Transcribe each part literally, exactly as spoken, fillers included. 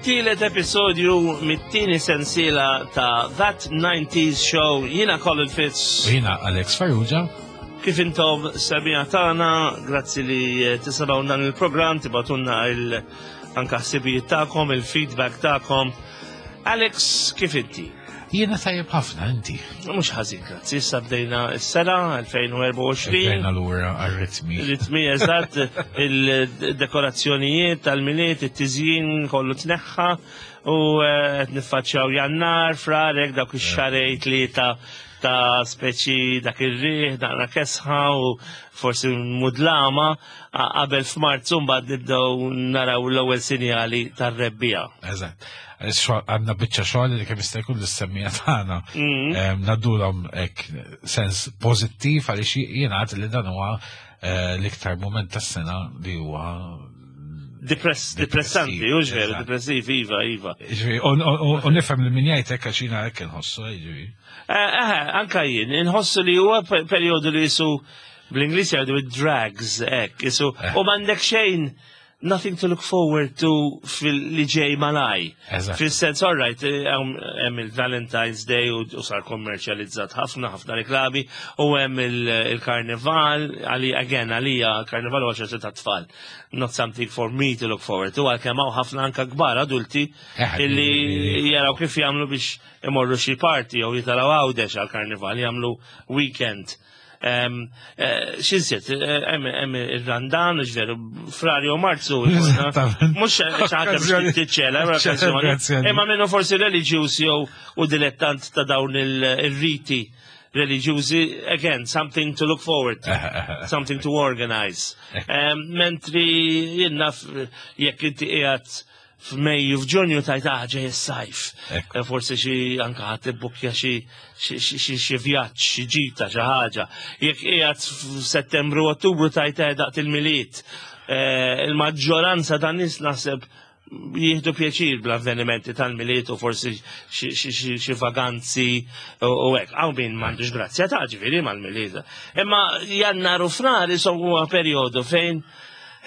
Fit-tielet episodju mit-tieni sensiela ta' That nineties Show. Jiena Colin Fitz. U jiena Alex Farrugia. Kif intom semmiegħa tagħna, grazzi li tisimgħu dan il-programm, tibagħtulna il anka ħsibijiet tagħkom, il-feedback tagħkom. Alex, kif inti? Jiena tajjeb ħafna, inti? Mhux ħażin, grazzi. Issa bdejna s-sena elfejn u erbgħa u għoxrin. Bdejna lura għar-ritmi. Ritmi, eżatt, il-dekorazzjonijiet tal-Milied, it-tiżjin kollu tneħħa u eh, qed niffaċċjaw Jannar, Frar, dawk ix-xahrejn tlieta ta' speċi dak ir-riħ, naqra kesħa u forsi mudlama a- qabel f'Marzu mbagħad nibdew naraw l-ewwel sinjali tar-rebbiegħa. Eżatt. Għandna biċċa xogħol li kemm jista' jkun lis-semmiegħa tagħna. Mm. Em, Ngħaddulhom hekk sens pożittiv għaliex jiena għad li dan huwa eh, l-iktar moment tas-sena li huwa Depress, depressanti, depressiv, u veru, eżatt. depressiv, iva, iva. Ġifieri, U u- u nifhem li min jgħid hekk għax jiena hekk inħossu, ġifieri. Eh, eh, anka jien, inħossu li huwa pe- periodu li jisu bl-Ingliż jgħidu it drags, hekk, jisu, Eh. u m'għandek xejn, nothing to look forward to fil-li ġej malaj. Eżatt. Fil-sens, all right, eh, hemm hemm il-Valentine's Day u u sar kommerċjalizzat ħafna, ħafna reklami, u hemm il- il-karnival, għali, again, għalija, karnival huwa ċertu ta' tfal. Not something for me to look forward to, għalkemm hawn ħafna anka kbar adulti Eh, illi li- jaraw kif jagħmlu biex imorru xi party jew jitilgħu Għawdex għal-karnival, jagħmlu weekend. Um, X'insiet, hemm hemm ir-Randan, veru, Frar jew Marzu. Eżattament. Mhux xi ħaġa biex tiċċela, Ċelebrazzjoni. imma minnu forsi reliġjuż jew u dilettant ta' dawn il-riti reliġjużi, again, something to look forward to, something to organize. Um, mentri jien naf jekk inti qiegħed f'Mejju, f'Ġunju tgħid, "Ah, ġej is-sajf." Ekku. Eh, Forsi xi anka ħadd ibbukkja xi xi xi xi vjaġġ, xi ġita, xi ħaġa. Jekk qiegħed f'Settembru, Ottubru tgħid, "Eh, daqt il-Milied." Eh, Il-maġġoranza tan nies naħseb jieħdu pjaċir bl-avvenimenti tal-Milied u forsi xi- xi xi- xi vaganzi u u hekk. Hawn min m'għandux grazzja ta' ġifieri mal-Milied. Imma Jannar u Frar isom huwa perjodu fejn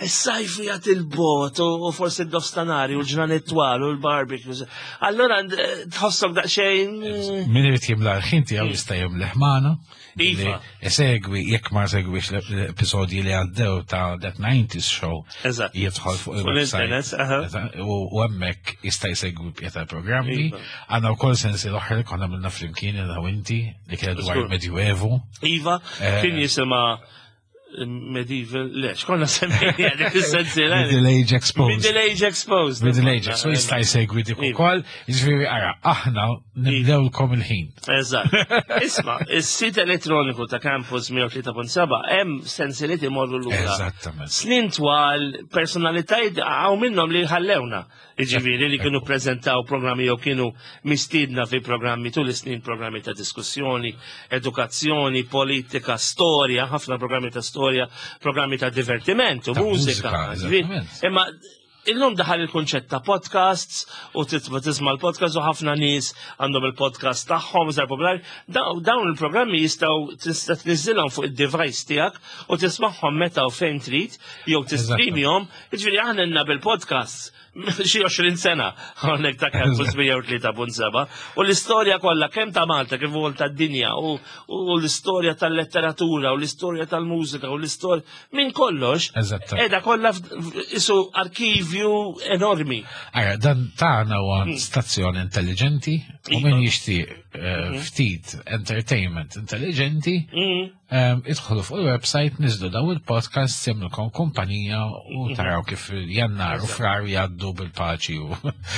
is-sajf jgħat il-bot u u forsi d-nofstanhar u l-ġranet twal u l-barbecues. Allora eh, tħossok daqsxejn eh, Min irid jimla l-ħin tiegħu jista' jimleh magħna. Iva. Isegwi, jekk ma segwix l-episodji li għaddew ta' That nineties Show, Eżatt. jidħol fuq Fuq il-website. l-internet, aha. Eżatt, U u hemmhekk jista' jsegwi bqija tal-programmi. Iva. Għandna wkoll sensi l-oħra li konna għamilna flimkien jiena u inti li kienet dwar Żgur. il-Medjuevu. Iva, Eh. kien jisimha Medieval, le, x'konna semmejna dik is-sensiela? Middle Age Exposed. Middle Age Exposed. Middle Age, so jista' jsegwi dik Iva. ukoll. Jiġifieri ara, aħna nimlewlkom il-ħin. Eżatt. Isma, is-sit elettroniku ta' Campus mija u tlieta punt sebgħa hemm sensiliet imorru lura. Eżattament. Snin twal, personalitajiet hawn minnhom li ħallewna. Jiġifieri li kienu prezentaw programmi jew kienu mistiedna fi programmi tul is-snin, programmi ta' diskussjoni, edukazzjoni, politika, storja, ħafna programmi ta' storja, programmi ta' divertiment u Ta' mużika. mużika, eżattament. Imma illum daħal il-kunċett ta' podcasts u titma tisma' l-podcast u ħafna nies għandhom il-podcast tagħhom iżgħar popolari. Daw- Dawn il-programmi jistgħu tista' tniżżilhom fuq id-device tiegħek u tismagħhom meta u fejn trid jew tistreamjhom. Jiġifieri aħna lna bil-podcasts xi għoxrin sena hawnhekk ta' Campus mija u tlieta punt sebgħa u l-istorja kollha kemm ta' Malta kif ukoll tad-dinja u u l-istorja tal-letteratura u l-istorja tal-mużika u l-istorja minn kollox. Eżattament. Edha kollha f- f- isu arkivju enormi. Ara, dan tagħna huwa stazzjon intelligenti u min Iva. jixtieq eh, ftit entertainment intelligenti, Mm. em, idħolu fuq il-website, niżlu daw il-podcast, jagħmlukom kumpanija u taraw kif Jannar u Frar jgħaddu bil-paċi u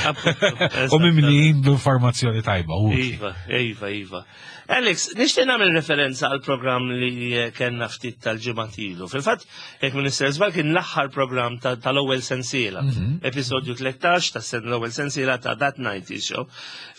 Appuntu, u mimlijin b'informazzjoni tajba. Utli. Iva, iva, iva. Alex, nixtieq nagħmel referenza għal programm li eh, kellna ftit tal-ġimgħat ilu. Fil-fatt, jekk Minister Żball kien l-aħħar programm ta- tal-ewwel sensiela, episodju tlettax tas sen l-ewwel sensiela ta' That nineties Show,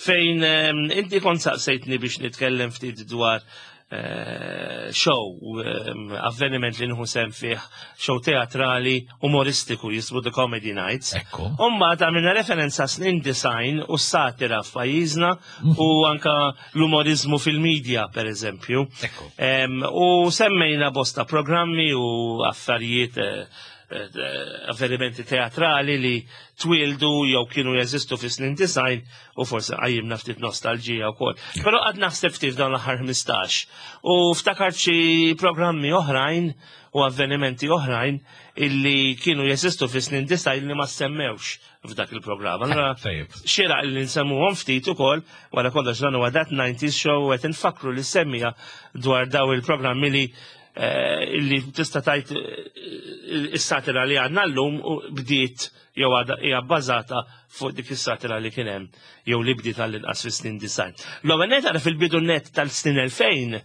fejn ehm, inti kont saqsejtni biex nitkellem ftit dwar eh, show, ehm, avveniment li nieħu sehem fih, show teatrali umoristiku jismu The Comedy Nights. Ekku. Umma għamilna referenza snin disgħin u satira f'pajjiżna u anka l-umorizmu fil-medja, per eżempju. Ekku. Em, u semmejna bosta programmi u affarijiet eh, eh, avvenimenti teatrali li twildu jew kienu jeżistu fi snin disgħin u forsi qajjimna ftit nostalġija wkoll. Però għad naħseb ftit f'dawn l-aħħar ħmistax. U ftakart xi programmi oħrajn u avvenimenti oħrajn illi kienu jeżistu fi snin disgħin li ma semmewx f'dak il-programm. Allora, Tajjeb. xieraq li nsemmuhom ftit ukoll, wara kollox dan huwa That nineties Show u qed infakru li semmija dwar daw il-programmi li eh, li tista' tajt eh, is-satira li għandna llum u bdiet jew għadha hija bbażata fuq dik is-satira li kien hemm jew li bdiet għall-inqas fis-snin disgħin. L-ewwel net għara fil-bidu net tal-snin elfejn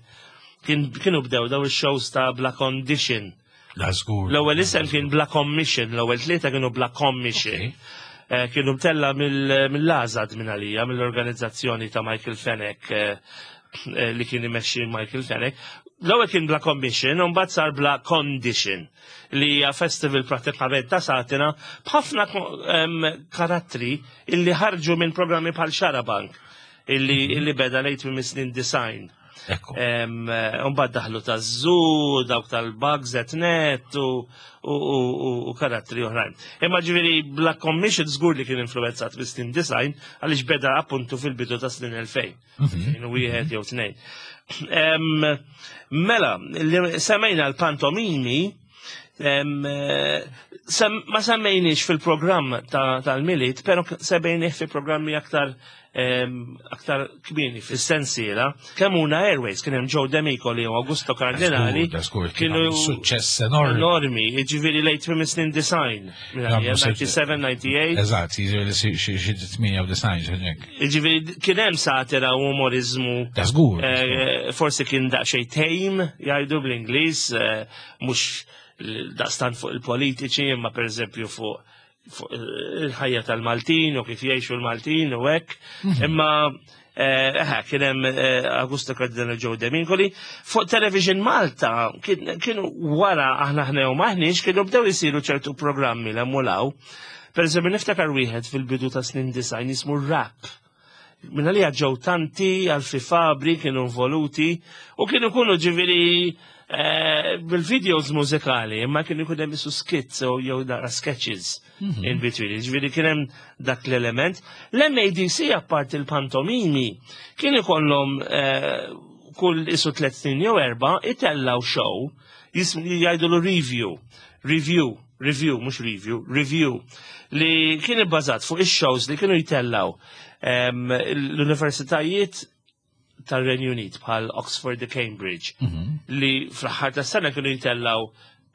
kien kienu bdew daw ix-shows ta' Bla Condition. La żgur. L-ewwel isem kien Bla Commission, l-ewwel tlieta kienu Bla Commission. Ok. Eh, Kienu mtella mill- mill-Azad minn għalija, mill-organizzazzjoni ta' Michael Fenech, eh, eh, li kien imexxi Michael Fenech. L-ewwel kien Bla Commission, u mbagħad sar Bla Condition, li hija festival prattikament ta' satira b'ħafna ko- em, karattri illi ħarġu minn programmi bħal Xarabank, illi, illi beda lejt minn snin disgħin. Ekku. Mbagħad daħlu ta' Zoo, dawk tal-Bugs at Net u, u, u, u, u karattri oħrajn. Imma ġifieri Bla Commission żgur li kien influenzat bis snin disgħin għaliex beda appuntu fil-bidu ta' snin elfejn. Kienu wieħed jew tnejn. Em, Mela, li semmejna l-pantomimi, em, eh, sem, ma semmejniex fil-programm ta- tal-Milied, pero semmejnieh fi programmi aktar em, aktar kmieni fis-sensiela. Kemmuna Airways, kien hemm Joe Demicoli u Augusto Cardinali. Da żgur, kien Kienu suċċess enormi. enormi, ġifieri late minn snin disgħin, Għamlu disgħa u sebgħin, disgħa u tmenin. Eżatt, jiġifieri xi xi tmienja u disgħin xi hekk. Ġifieri kien hemm satira u umorizmu. Da żgur. Eh, forsi kien daqsxejn tame, jgħidu bl-Ingliż, eh, mhux daqstan fuq il-politiċi, imma per eżempju fuq fuq il-ħajja tal-Maltin u kif jgħixu l-Maltin u hekk. Imma eh, eh, kien hemm eh, Augusto Cardinal, Joe Demicoli. Fuq Television Malta kien- kienu wara Aħna Aħna u M'Aħniex kienu bdew isiru ċertu programmi l-emmulaw. Per eżempju niftakar wieħed fil-bidu ta' snin disgħin jismu Rap. Minna li ġew tanti, Alfie Fabri kienu involuti u kienu kunu ġifieri eh, bil-videos mużikali, imma kienu jkun hemm isu skits u jew naqra sketches in between. Ġifieri kien hemm dak l-element. L-M A D C, apart il-pantomimi, kien ikollhom eh, kull isu tliet snin jew erba' itellaw show jismu jgħidulu review. Review, review, mhux review, review, li kien ibbażat fuq ix-shows li kienu jitellaw em, l-universitajiet tal-Renju Unit bħal Oxford u Cambridge, li fl-aħħar tas-sena kienu jitellaw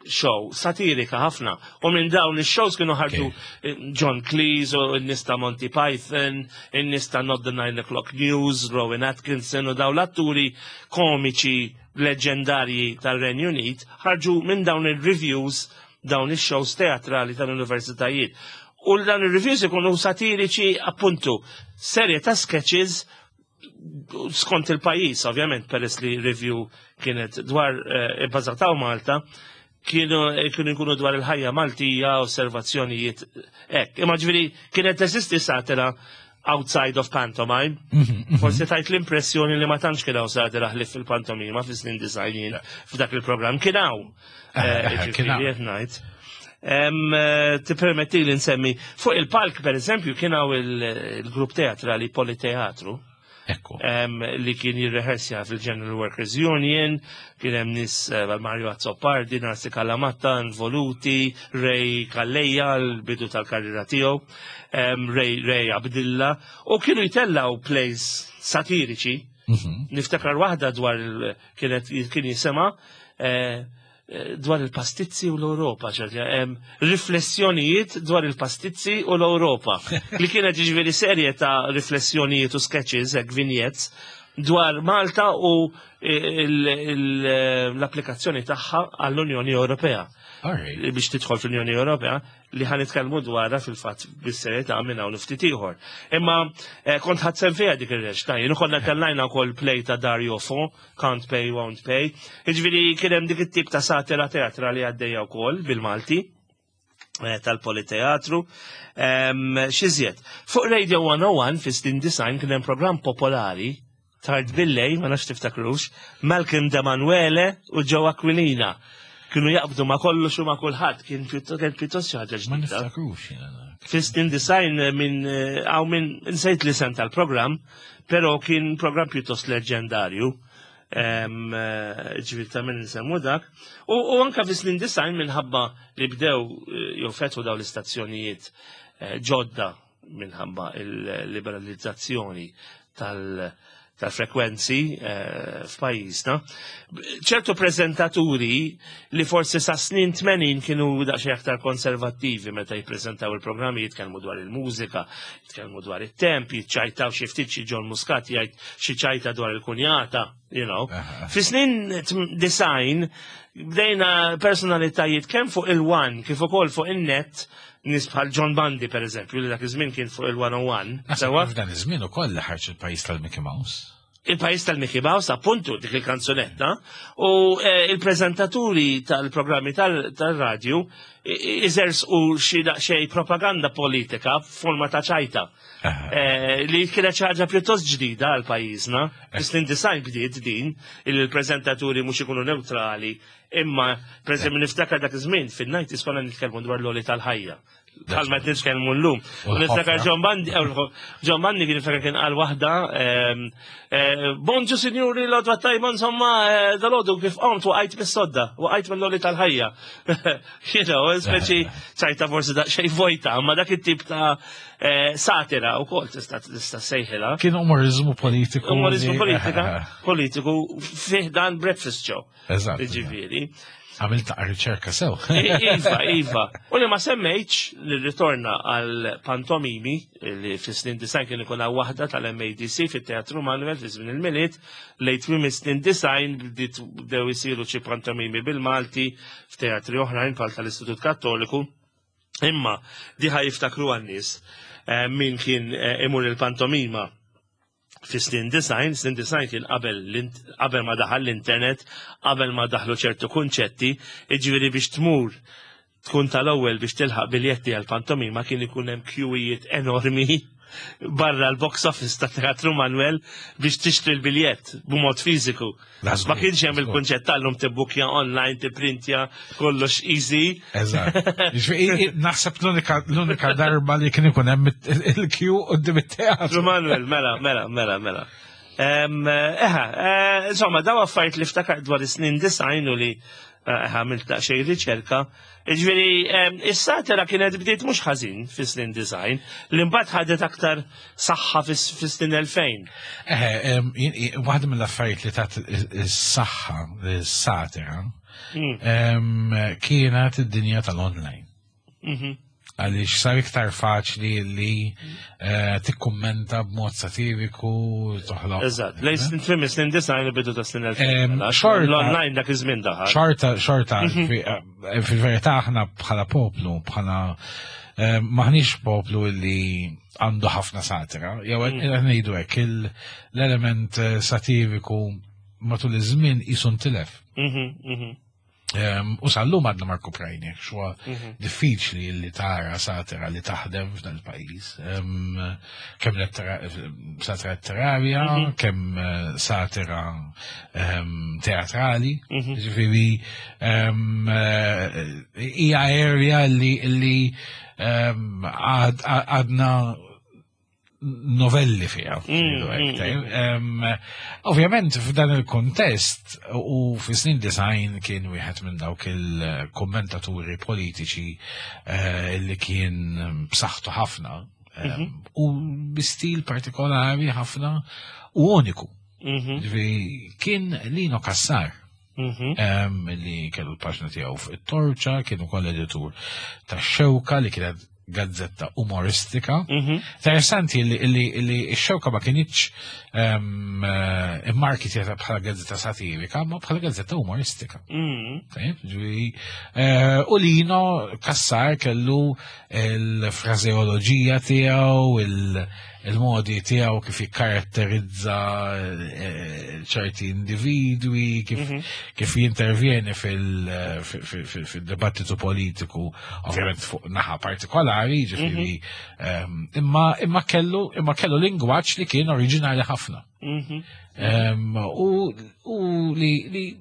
show satirika ħafna u minn dawn ix-shows kienu ħarġu eh, John Cleese u n-nies ta' Monty Python, n-nies ta' Not the Nine O'Clock News, Rowan Atkinson u dawn l-atturi komiċi leġendarji tal-Renju Unit ħarġu minn dawn il-reviews, dawn ix-shows teatrali tal-universitajiet. U dawn il-reviews ikunu satiriċi, appuntu, serje ta' sketches skont il-pajjiż, ovvjament, peress li review kienet dwar eh, ibbażataw Malta, kienu kienu jkunu dwar il-ħajja Maltija, osservazzjonijiet hekk. Imma ġifieri kienet teżisti satira outside of pantomime. Forsi tajt l-impressjoni li ma tantx kien hawn satira ħlief fil-pantomima fis-snin disgħin f'dak il-programm. Kien hawn. Eh, Eh, eh, kien hawn. Ġifieri qed ngħid. Em, eh, Tippermetti li nsemmi fuq il-palk, per eżempju, kien hawn il- il-grupp teatrali Politeatru Ekku. em, li kien jirrehersja fil-General Workers Union, kien hemm nies eh, Mario Azzopardi, Narsi Calamatta involuti, Ray Calleja, l-bidu tal-karriera tiegħu, em, Ray, Ray Abdilla, u kienu jtellaw plays satiriċi. Mhm. Niftakar waħda dwar il- kienet kien jisema eh, eh, dwar il-pastizzi u l-Europa, ċerti, em, riflessjonijiet dwar il-pastizzi u l-Europa. Li kienet ġifieri serje ta' riflessjonijiet u sketches, hekk vignettes, dwar Malta u il- il- l-applikazzjoni tagħha għall-Unjoni Ewropea All right. biex tidħol fl-Unjoni Ewropea, li ħa nitkellmu dwarha fil-fatt bis-serjetà minn hawn ftit ieħor. Imma eh, kont ħadd sem fiha dik ir-reċta. Jien konna tellajna wkoll play ta' Dario Fo, Can't Pay Won't Pay. Jiġifieri kien hemm dik it-tip ta' satira teatrali għaddejja wkoll bil-Malti eh, tal-Politeatru. Em, X'iżjed. Fuq Radio one oh one fi snin disgħin kien hemm programm popolari tard billejl, ma nafx tiftakrux, Malcolm Demanuele u Joe Aquilina. Kienu jaqbdu ma kollox u ma kulħadd, kien pjuttost kien pjuttost xi ħaġa Ma ġdida. niftakrux jiena dak. Fis-snin disgħin minn għaw minn insejt l-isem tal-programm, pero kien program pjuttost leġendarju. Em, eh, Ġifieri ta' minn nsemmu dak. U, u anka fis-snin disgħin, minħabba li bdew eh, jew fetħu daw l-istazzjonijiet eh, ġodda minħabba il-liberalizzazzjoni tal- tal-frekwenzi eh, f'pajjiżna. Ċertu prezentaturi li forsi sa snin tmenin kienu daqsxejn aktar konservattivi meta jippreżentaw il-programmi, jitkellmu dwar il-mużika, jitkellmu dwar it-temp, jiċċajtaw xi ftit, xi John Muscat jgħid xi ċajta dwar il-kunjata, you know. Aha. Fi snin tm- disgħin bdejna personalitajiet kemm fuq il-One kif ukoll fuq in-Net, nies bħal John Bundy, per eżempju, li dak iż-żmien kien fuq il-mija u wieħed. Naħseb Sewwa? f'dan iż-żmien ukoll li ħarġ Il-Pajjiż tal-Mickey Mouse. Il-Pajjiż tal-Mickey Mouse, appuntu, dik il-kanzunetta, u eh, il-prezentaturi tal-programmi tal- tal-radju iżers u xi daqsxejn propaganda politika f'forma ta' ċajta. Aha. Eh, li kienet xi ħaġa pjuttost ġdida għal pajjiżna. Fis-snin disgħin bdiet din il-prezentaturi mhux ikunu neutrali, imma per eżempju niftakar dak iż-żmien fin-nineties konna nitkellmu dwar l-għoli tal-ħajja. Bħalma qed nitkellmu llum. U l-ħofra. Niftakar John Bundy, eh, John Bundy kien niftakar kien qal waħda, ehm, eh, "Bonġu sinjuri, l-għodwa tajba, insomma, eh, dal-għodu kif qomt waqajt mis-sodda, waqajt mill-għoli tal-ħajja." You know, speċi ċajta forsi daqsxejn vojta, ma dak it-tip ta' eh, satira u kol tista' tista' sejħilha. Kien umorizmu politiku. Umorizmu li- politika, politiku fih dan breakfast show. Eżatt. Ġifieri. Għamilt riċerka sew. Iva, iva. U li ma semmejtx li ritorna għal pantomimi li fis-snin disgħin kien ikun hawn waħda tal-M A D C fit-Teatru Manuel fi żmien il-Milied, lejn tmiem is-snin disgħin bdiet bdew isiru xi pantomimi bil-Malti f'teatri oħrajn bħal tal-Istitut Kattoliku. Imma diħa jiftakru għan-nies eh, min kien eh, imur il-pantomima fi snin disgħin, snin disgħin kien qabel l-int- qabel ma daħal l-internet, qabel ma daħlu ċertu kunċetti, iġifieri biex tmur tkun tal-ewwel biex tilħaq biljetti għal pantomima kien ikun hemm kjuwijiet enormi barra l-box office ta' Teatru Manuel biex tixtri l-biljett b'mod fiżiku. Da żgur, Ma kienx hemm żgur. il-kunċett tal-lum, tibbukja online, tipprintja, kollox easy. Eżatt. Ġifieri, naħseb l-unika l-unika darba li kien ikun hemm il-kju quddiem it-teatru. Teatru Manuel, mela, mela, mela, mela. Em, Eħa, eh, insomma, daw affarijiet li ftakar dwar is-snin disgħin u li eh, għamilt daqsxejn riċerka. Ġifieri, em, is-satira kienet bdiet mhux ħażin fis-snin disgħin, li mbagħad ħadet aktar saħħa fis- fis-snin elfejn. Eħe, em, jien- jien- waħda mill-affarijiet li tat is-saħħa is-satira Mm, em, kienet id-dinja tal-online. mhm, Għaliex sar iktar faċli li eh, tikkummenta b'mod satiriku, toħloq. Eżatt, lejn snin tmiem snin disgħin u bidu ta' snin elfejn. Em, Mela, xorta- L-online dak iż-żmien daħal. Xorta, xorta, fi- eh, fil-verità aħna bħala poplu, bħala eh, maħniex poplu li għandu ħafna satira. Jew qed ngħidu hekk, il- l-element eh, satiriku matul iż-żmien qisu ntilef. Mhm, mhm, Em, U sal-lum għadna Marko Prajnek, xwa mhm. diffiċli li tara satira li taħdem f'dan il-pajjiż. Em, Kemm lettera- satira letterarja, Mhm. kemm eh, satira em, teatrali, Mhm. ġifieri em, eh, hija area li li em, għad- għadna novelli fiha. Mm, mm, tajjeb. Em, Ovvjament f'dan il-kontest u fi snin disgħin kien wieħed minn dawk il-kommentaturi politiċi eh, li kien b'saħħtu ħafna em, u bi stil partikolari ħafna u uniku. Mhm, Ġifieri, kien Lino Cassar mhm. em, li kellu l-paġna tiegħu fuq it-Torċa, kien ukoll editur ta' Xewka, li kienet gazzetta umoristika. Mhm. Interessanti li, li, li x-Xewka ma kinitx um, immarketjata bħala gazzetta satirika, ma bħala gazzetta umoristika. Mhm. Tajjeb, ġifieri, eh, u Lino Cassar kellu il-frażeoloġija tiegħu, il- il-modi tiegħu kif jikkaratterizza eh, ċerti individwi, kif, Mhm. kif jintervjeni fil- fil- fil- fil-dibattitu politiku, ovvjament fuq naħa partikolari, ġifieri, ehm, imma imma kellu imma kellu lingwaġġ li kien oriġinali ħafna. Mhm. Ehm, U u li li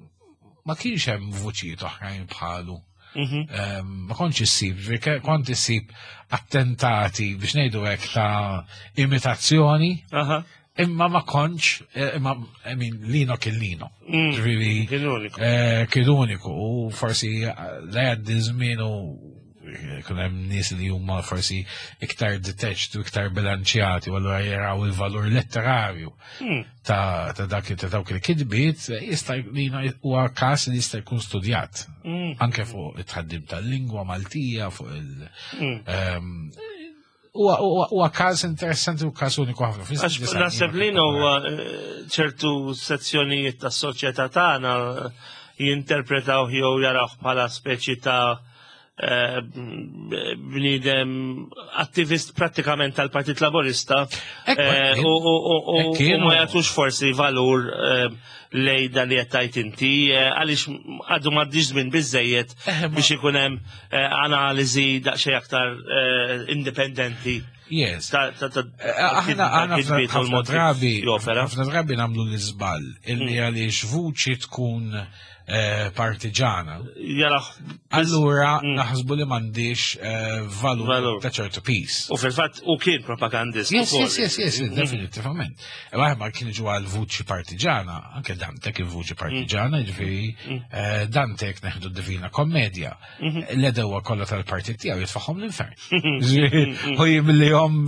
ma kienx hemm vuċijiet oħrajn bħalu. Mhm. Em, Ma kontx issib, ġifieri ke- kont issib attentati biex ngħidu hekk ta' imitazzjoni, Aha. imma ma kontx, eh, imma, I mean, Lino kien Lino. Mm. Ġifieri, Kien uniku. eh, kien uniku u forsi eh, la jgħaddi żmien u kun hemm nies li huma forsi iktar detached u iktar bilanċjati u allura jaraw il-valur letterarju Mm. ta' ta' dak ta' dawk il-kitbiet jista' Lino huwa każ li jista' jkun studjat Mm. anke fuq it-tħaddim tal-lingwa Maltija, fuq il- Mm. ehm, huwa huwa- huwa każ interessanti u każ uniku ħafna. Għax naħseb li huwa eh, ċertu sezzjonijiet tas soċjetà tagħna eh, jinterpretaw jew jaraw bħala speċi ta' eh, bniedem attivist prattikament tal-Partit Laburista Ekku, eh, kien. u u- u- u- Hekk kien, u ma u- jagħtux forsi valur eh, lej dan li qed tgħid inti eh, għaliex għadu m'għaddix żmien biżejjed Eh, ma- biex ikun hemm eh, analiżi daqsxejn aktar eh, indipendenti Yes. ta' ta' ta' Eh, Aħna aħna kitbiet u ħafna l-mod kif drabi jopera. ħafna drabi nagħmlu l-iżball illi għaliex vuċi tkun eh, partiġana. Jaraħ. Allura naħsbu li m'għandix eh, valur Valur. ta' ċertu piż. U fil-fatt u kien propagandist. Yes, ukoll. yes, yes, yes, definitivament. Imma ma kien ġu għal vuċi partiġana, anke Dante kien vuċi partiġana, ġifieri eh, Dante jekk neħdu Divina Kommedja, l-għedewwa kollha tal-partit tiegħu jitfagħhom l-infern. Ġifieri, U jimlihom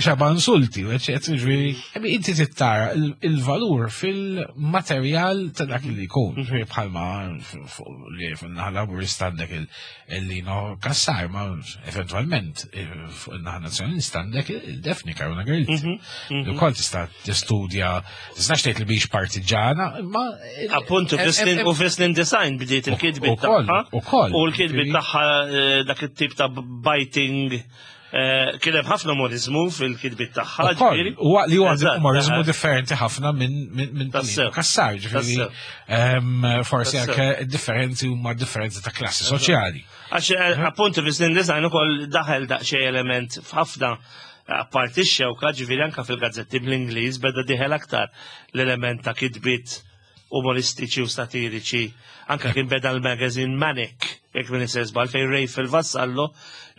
xaba insulti, u eċetera, ġifieri, I mean, inti tittara il- il-valur fil-materjal ta' dak li jkun, ġifieri bħalma fuq li fuq naħa laburista għandek il-Lino Cassar, ma eventualment eh, fuq il-naħa nazzjonalista għandek il-Daphne Caruana Galizia. Li wkoll tista' tistudja, tistax tgħid li biex partiġana, imma Appuntu, fis-snin- u fis-snin disgħin bdiet il-kitbiet Ukoll, tagħha. ukoll. U l-kitbiet tagħha eh, dak it-tip ta' biting eh, kien hemm ħafna umorizmu fil-kitbiet tagħha. Ukoll, ġifieri. u li huwa Eżatt, umorizmu eh. differenti ħafna minn minn minn Tassew. Lino Cassar, ġifieri Tassew. ehm, forsi Tassew. anke differenzi huma differenzi ta' klassi soċjali. Għax eh, appuntu fis-snin disgħin ukoll daħel daqsxejn element f'ħafna apparti x-xewka, ġifieri anke fil-gazzetti bl-Ingliż beda dieħel aktar l-element ta' kitbiet umoristiċi u satiriċi. Anka kien beda l-magazine Manic, jekk minn żball, fejn Ray Vassallo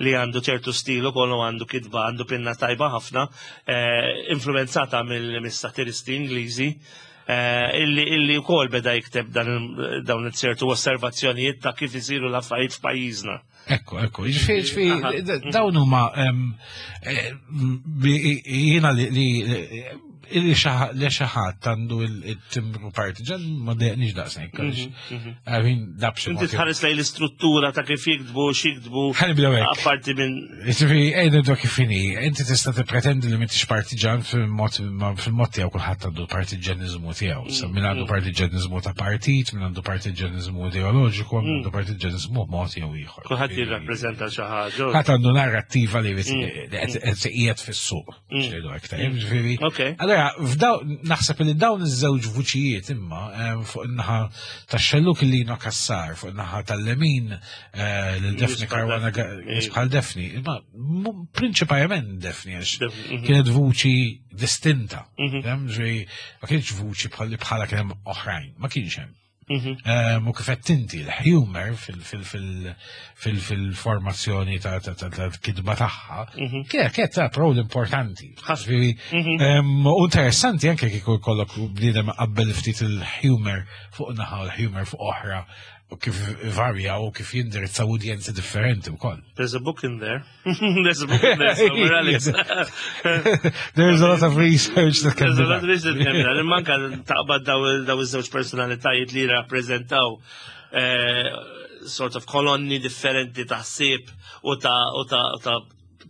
li għandu ċertu stilu kollu għandu kitba, għandu pinna tajba ħafna, eh, influenzata mill-satiristi Ingliżi, eh, illi illi wkoll beda jikteb dan il- dawn it-ċertu osservazzjonijiet ta' kif isiru l-affarijiet f'pajjiżna. Ekku, ekku, ġifieri, ġifieri, d- dawn huma em, eh, bi- jiena li li li li xi ħadd għandu il-timbru partiġan ma dejqniex daqshekk. I mean, dabxi. Inti tħares lejn l-istruttura ta' kif jiktbu, x'jiktbu, Ħa nibdew hekk. apparti minn Ġifieri, ejna nibdew kif inhi, inti tista' tippretendi li m'intix partiġan fil-mod fil-mod tiegħu kulħadd għandu partiġaniżmu tiegħu. Sa min għandu partiġaniżmu ta' partit, min għandu partiġaniżmu ideoloġiku, min għandu partiġaniżmu b'mod jew ieħor. kulħadd jirrappreżenta xi ħaġa. Ħadd għandu narrattiva li qed qiegħed fis-suq. Xejdu hekk tajjeb, ġifieri. Ok. Allora, f'daw naħseb li dawn iż-żewġ vuċijiet imma em, fuq in-naħa tax-xelluk il-Lino Cassar, fuq in-naħa tal-lemin eh, lil Daphne Bħal Caruana Daphne. bħal Daphne, imma mu- prinċipalment Daphne għax Daphne, mhm. kienet vuċi distinta. Mhm. Fhem, ġifieri, ma kienx vuċi bħal bħala kien hemm oħrajn, ma kienx hemm. Mhm. Um, u kif qed inti l-humor fil-formazzjoni ta' ta' ta' ta' kitba tagħha, kienet kienet ta' rol importanti. Ħafna. Ġifieri, um, U interessanti anke kieku jkollok bniedem qabel ftit il-humor fuq naħa u l-humor fuq oħra u kif varja u kif jindirizza udjenzi differenti wkoll. There's a book in there. There's a book in there somewhere, Alex. There's a lot of research that can There's be a lot of done. research can be done. Imma anka taqbad daw daw iż-żewġ personalitajiet li rappreżentaw eh, sort of kolonni differenti ta' ħsieb u ta' u ta' u ta'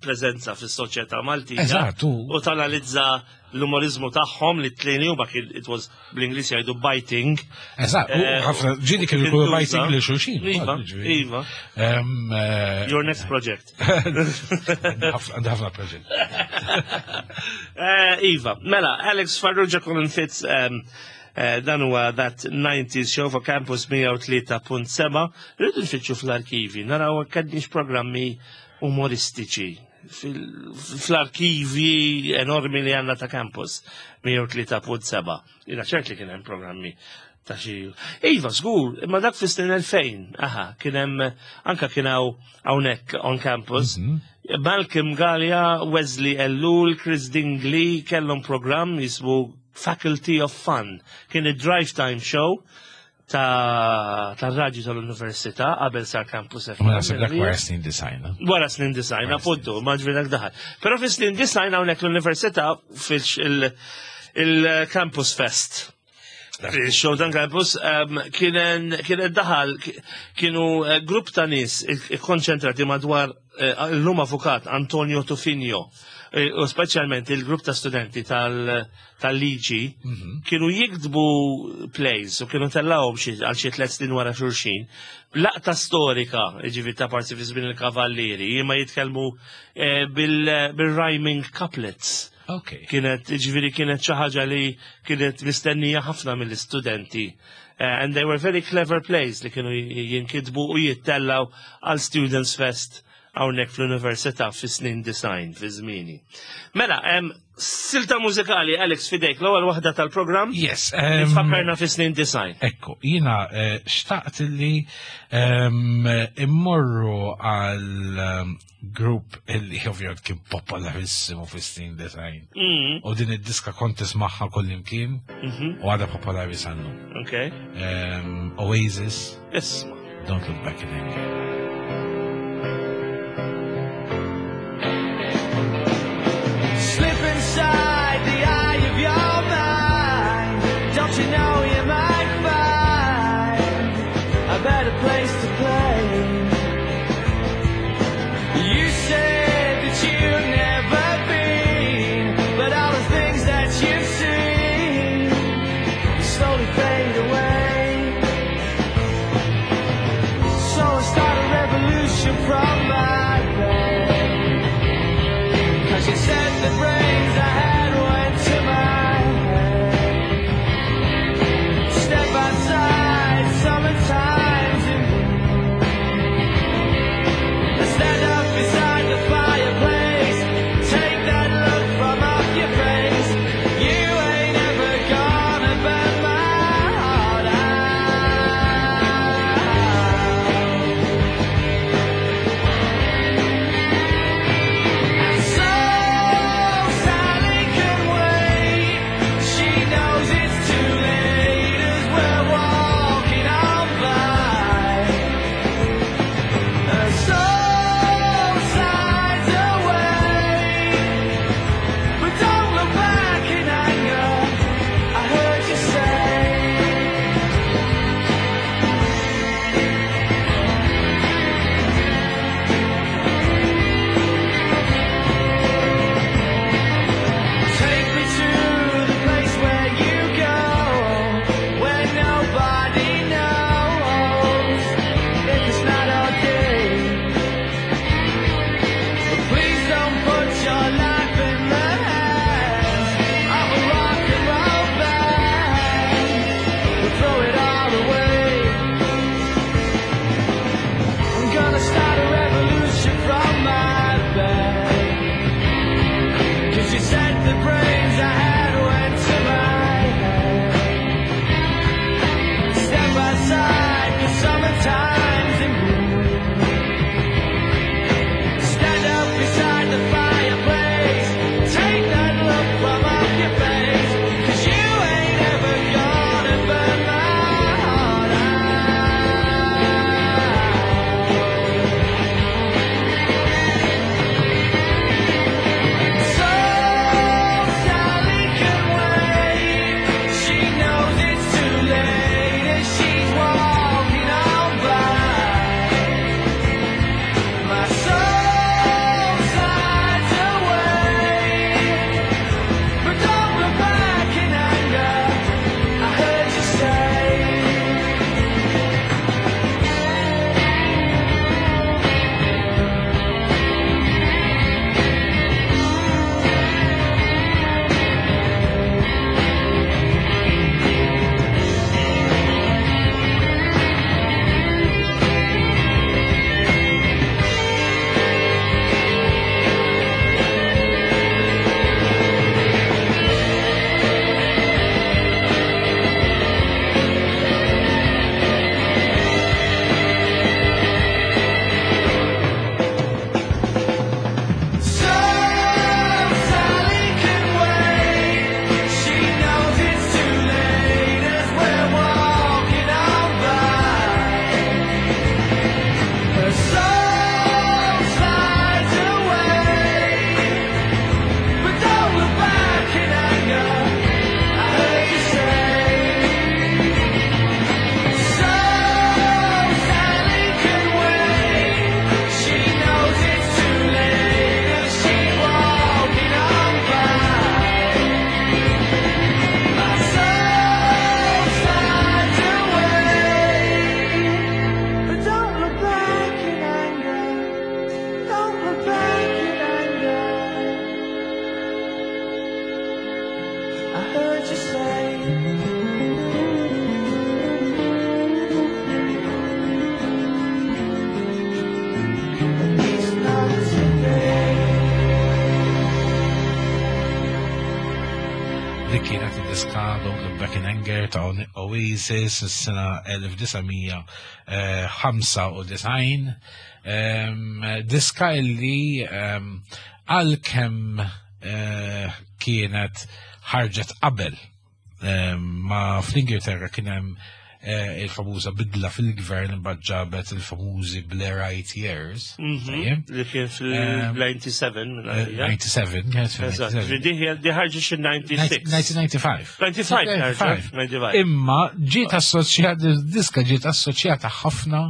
preżenza fis-soċjetà Maltija. Eżatt, u- U tanalizza l-umorizmu tagħhom li t-tlieni huma kien it was bl-Ingliż jgħidu biting. Eżatt, u Eh, ħafna ġieli kienu kien jkunu tuża. biting lil xulxin. Iva, ukoll, ġifieri. iva. Em, eh, Your next project. Għandi ħafna proġett. Eh, Iva, mela, Alex Farrugia Colin Fitz, um, eh, dan huwa That nineties Show for Campus mija u tlieta punt seba'. Rridu nfittxu fl-arkivi, naraw kellniex programmi umoristiċi fil- fl-arkivi enormi li għandna ta' Campus mija u tlieta punt seba'. Jiena ċert li kien hemm programmi Ta' xi. Iva, żgur, imma dak fis-snin elfejn, aha, kien hemm anka kien hawn hawnhekk on campus. Mhm. Malcolm Galea, Wesley Ellul, Chris Dingley kellhom programm jismu Faculty of Fun. Kien id-drive time show ta' tar-radju tal-Università qabel sar Campus F M. Ma naħseb dak wara snin disgħin. eh? Wara snin disgħin, Wara snin appuntu, ma ġifieri dak daħal. Però fi snin disgħin hawnhekk l-Università fil-Campus Fest. Il-show dan campus um, kien kien daħal kienu eh, grupp ta' nies ikkonċentrati madwar eh, l-lum avukat Antonio Tufino eh, u speċjalment il-grupp ta' studenti tal- tal-liġi Mhm. kienu jiktbu plays u kienu tellawhom xi għal xi tliet snin wara xulxin. Laqta storika, ġifieri ta' parti fi żmien il-kavallieri, imma jitkellmu eh, bil- bil-rhyming couplets. Ok. Kienet, ġifieri kienet xi ħaġa li kienet mistennija ħafna mill-istudenti. Eh, and they were very clever plays li kienu jinkitbu u jittellaw għal Students Fest hawnhekk fl-Università fi snin disgħin fi żmieni. Mela, em, silta mużikali, Alex, fidejk, l-ewwel waħda tal-programm. Yes. Li em, tfakkarna fi snin disgħin. Ekku, jina eh, xtaqt li em, immorru għal em, grupp illi ovvjament kien popolarissimu fi snin disgħin. Mm, U din id-diska kont tismagħha kullimkien mhm, u għadha popolari sal-lum. Ok. Em, Oasis, Isma. Don't Look Back in Anger. Slip inside the eye of your mind. Don't you know you might find a better place to play? You said that you've never been, but all the things that you've seen slowly fade away. So I started. Dik kienet id-diska Don't Look Back in Anger ta' Oasis s-sena elf disa' mija ħamsa u disgħin. Diska illi għalkemm eh, kienet ħarġet qabel ma fl-Ingilterra kien hemm eh, il-famuża bidla fil-gvern, imbagħad ġabet il-famużi Blairite Years. Mhm. Li kien fil-disgħa u disgħin. disgħa u disgħin, kienet fil-disgħa u disgħin. Di ħarġet xi disgħa u disgħin. elf disa' mija ħamsa u disgħin. ħamsa u disgħin, ħamsa u disgħin. Imma ġiet assoċjata, diska ġiet assoċjata ħafna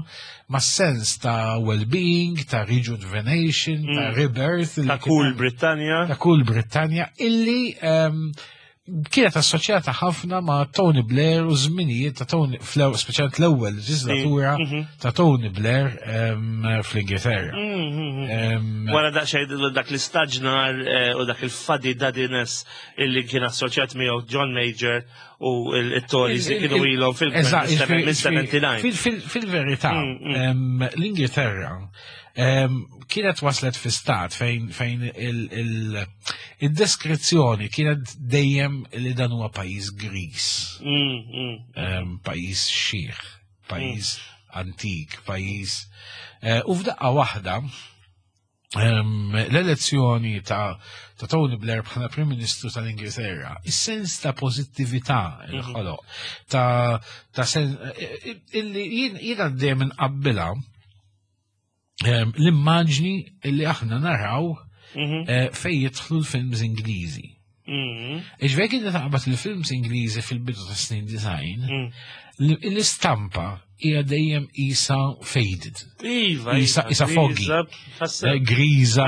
ma' sens ta' well-being, ta' rejuvenation, ta' mm. rebirth. Ta' kull Brittanja. Ta' kull Brittanja, illi kienet assoċjata ħafna ma' Tony Blair u żminijiet ta' Tony, speċjalment l-ewwel leġislatura mhm. ta' Tony Blair fl-Ingilterra. Mhm. Wara daqsxejn dak l-istaġnar eh, u dak il-fuddy duddiness illi kien assoċjat miegħu John Major u il-Tories li kienu ilhom fil-gvern mill-disgħa u sebgħin. Fil-verità, mm, mm. l-Ingilterra kienet waslet fi stat fejn fejn il-deskrizzjoni kienet dejjem li dan huwa pajjiż gris, mm, mm. pajjiż xiħ, pajjiż antik, pajjiż. Eh, u f'daqqa waħda l-elezzjoni ta' ta' Tony Blair bħala Prim Ministru tal-Ingilterra, is-sens ta' pozittività il mhm. ħoloq, ta' ta' sen illi jiena dejjem inqabbilha l-immaġni li aħna naraw mhm. eh, fej jidħlu l-films Ingliżi. Mhm. Iġveri kien taqbad il-films Ingliżi fil-bidu ta' snin disgħin, mm. l-istampa hija dejjem isa faded. Iva, Isa- iva, isa foggy. Griża, Eh, Griża.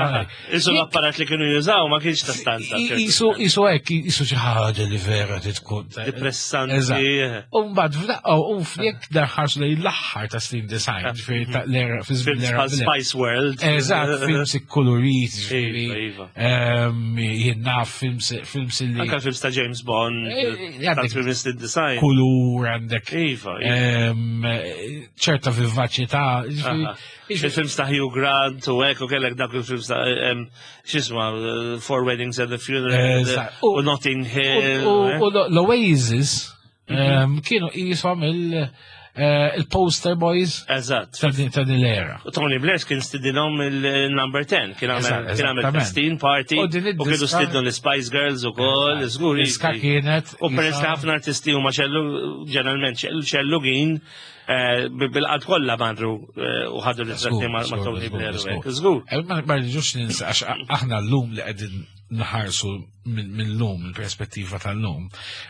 Isu l-apparat li kienu jużaw ma kienx ta' standard. Isu isu hekk, isu xi ħaġa li vera tkun. Depressanti. Eżatt. U mbagħad f'daqqa u jekk darħarsu lejn l-aħħar ta' snin disgħin, ġifieri ta' l-era fi żmien Films l-era bħal Spice World. Eżatt, films ikkolorit, ġifieri. Iva, iva. ehm, Jien naf films films illi Anka films ta' James Bond, Eh, ta' għandek films design. kulur, għandek Iva, iva. ehm, ċerta vivaċità. Ġifieri- Aha. Il-films ta' Hugh Grant u hekk u kellek dak il-films ta' em, x'isma, eh, Four Weddings and a Funeral Eżatt. u Notting Hill. U eh. u l-Oasis ehm, kienu jisom il- eh, il-poster boys Eżatt. ta' din ta' din l-era. U Tony Blair kien stidinhom il-number ten, kien għamel Eżatt, kien għamel eżattament. festin party U din u kienu id-diska- stidnu l-Spice Girls u koll, żgur. Diska kienet. U peress li isa- ħafna artisti huma xellu ġeneralment xellu- xellugin eh, bil-qalb kollha marru eh, u ħadu ritratti ma' ma' Tony Blair u hekk. Żgur. Eh, Ma ma rridux ninsa, għax aħna l-lum li qegħdin nħarsu minn min lum, il-perspettiva tal-lum.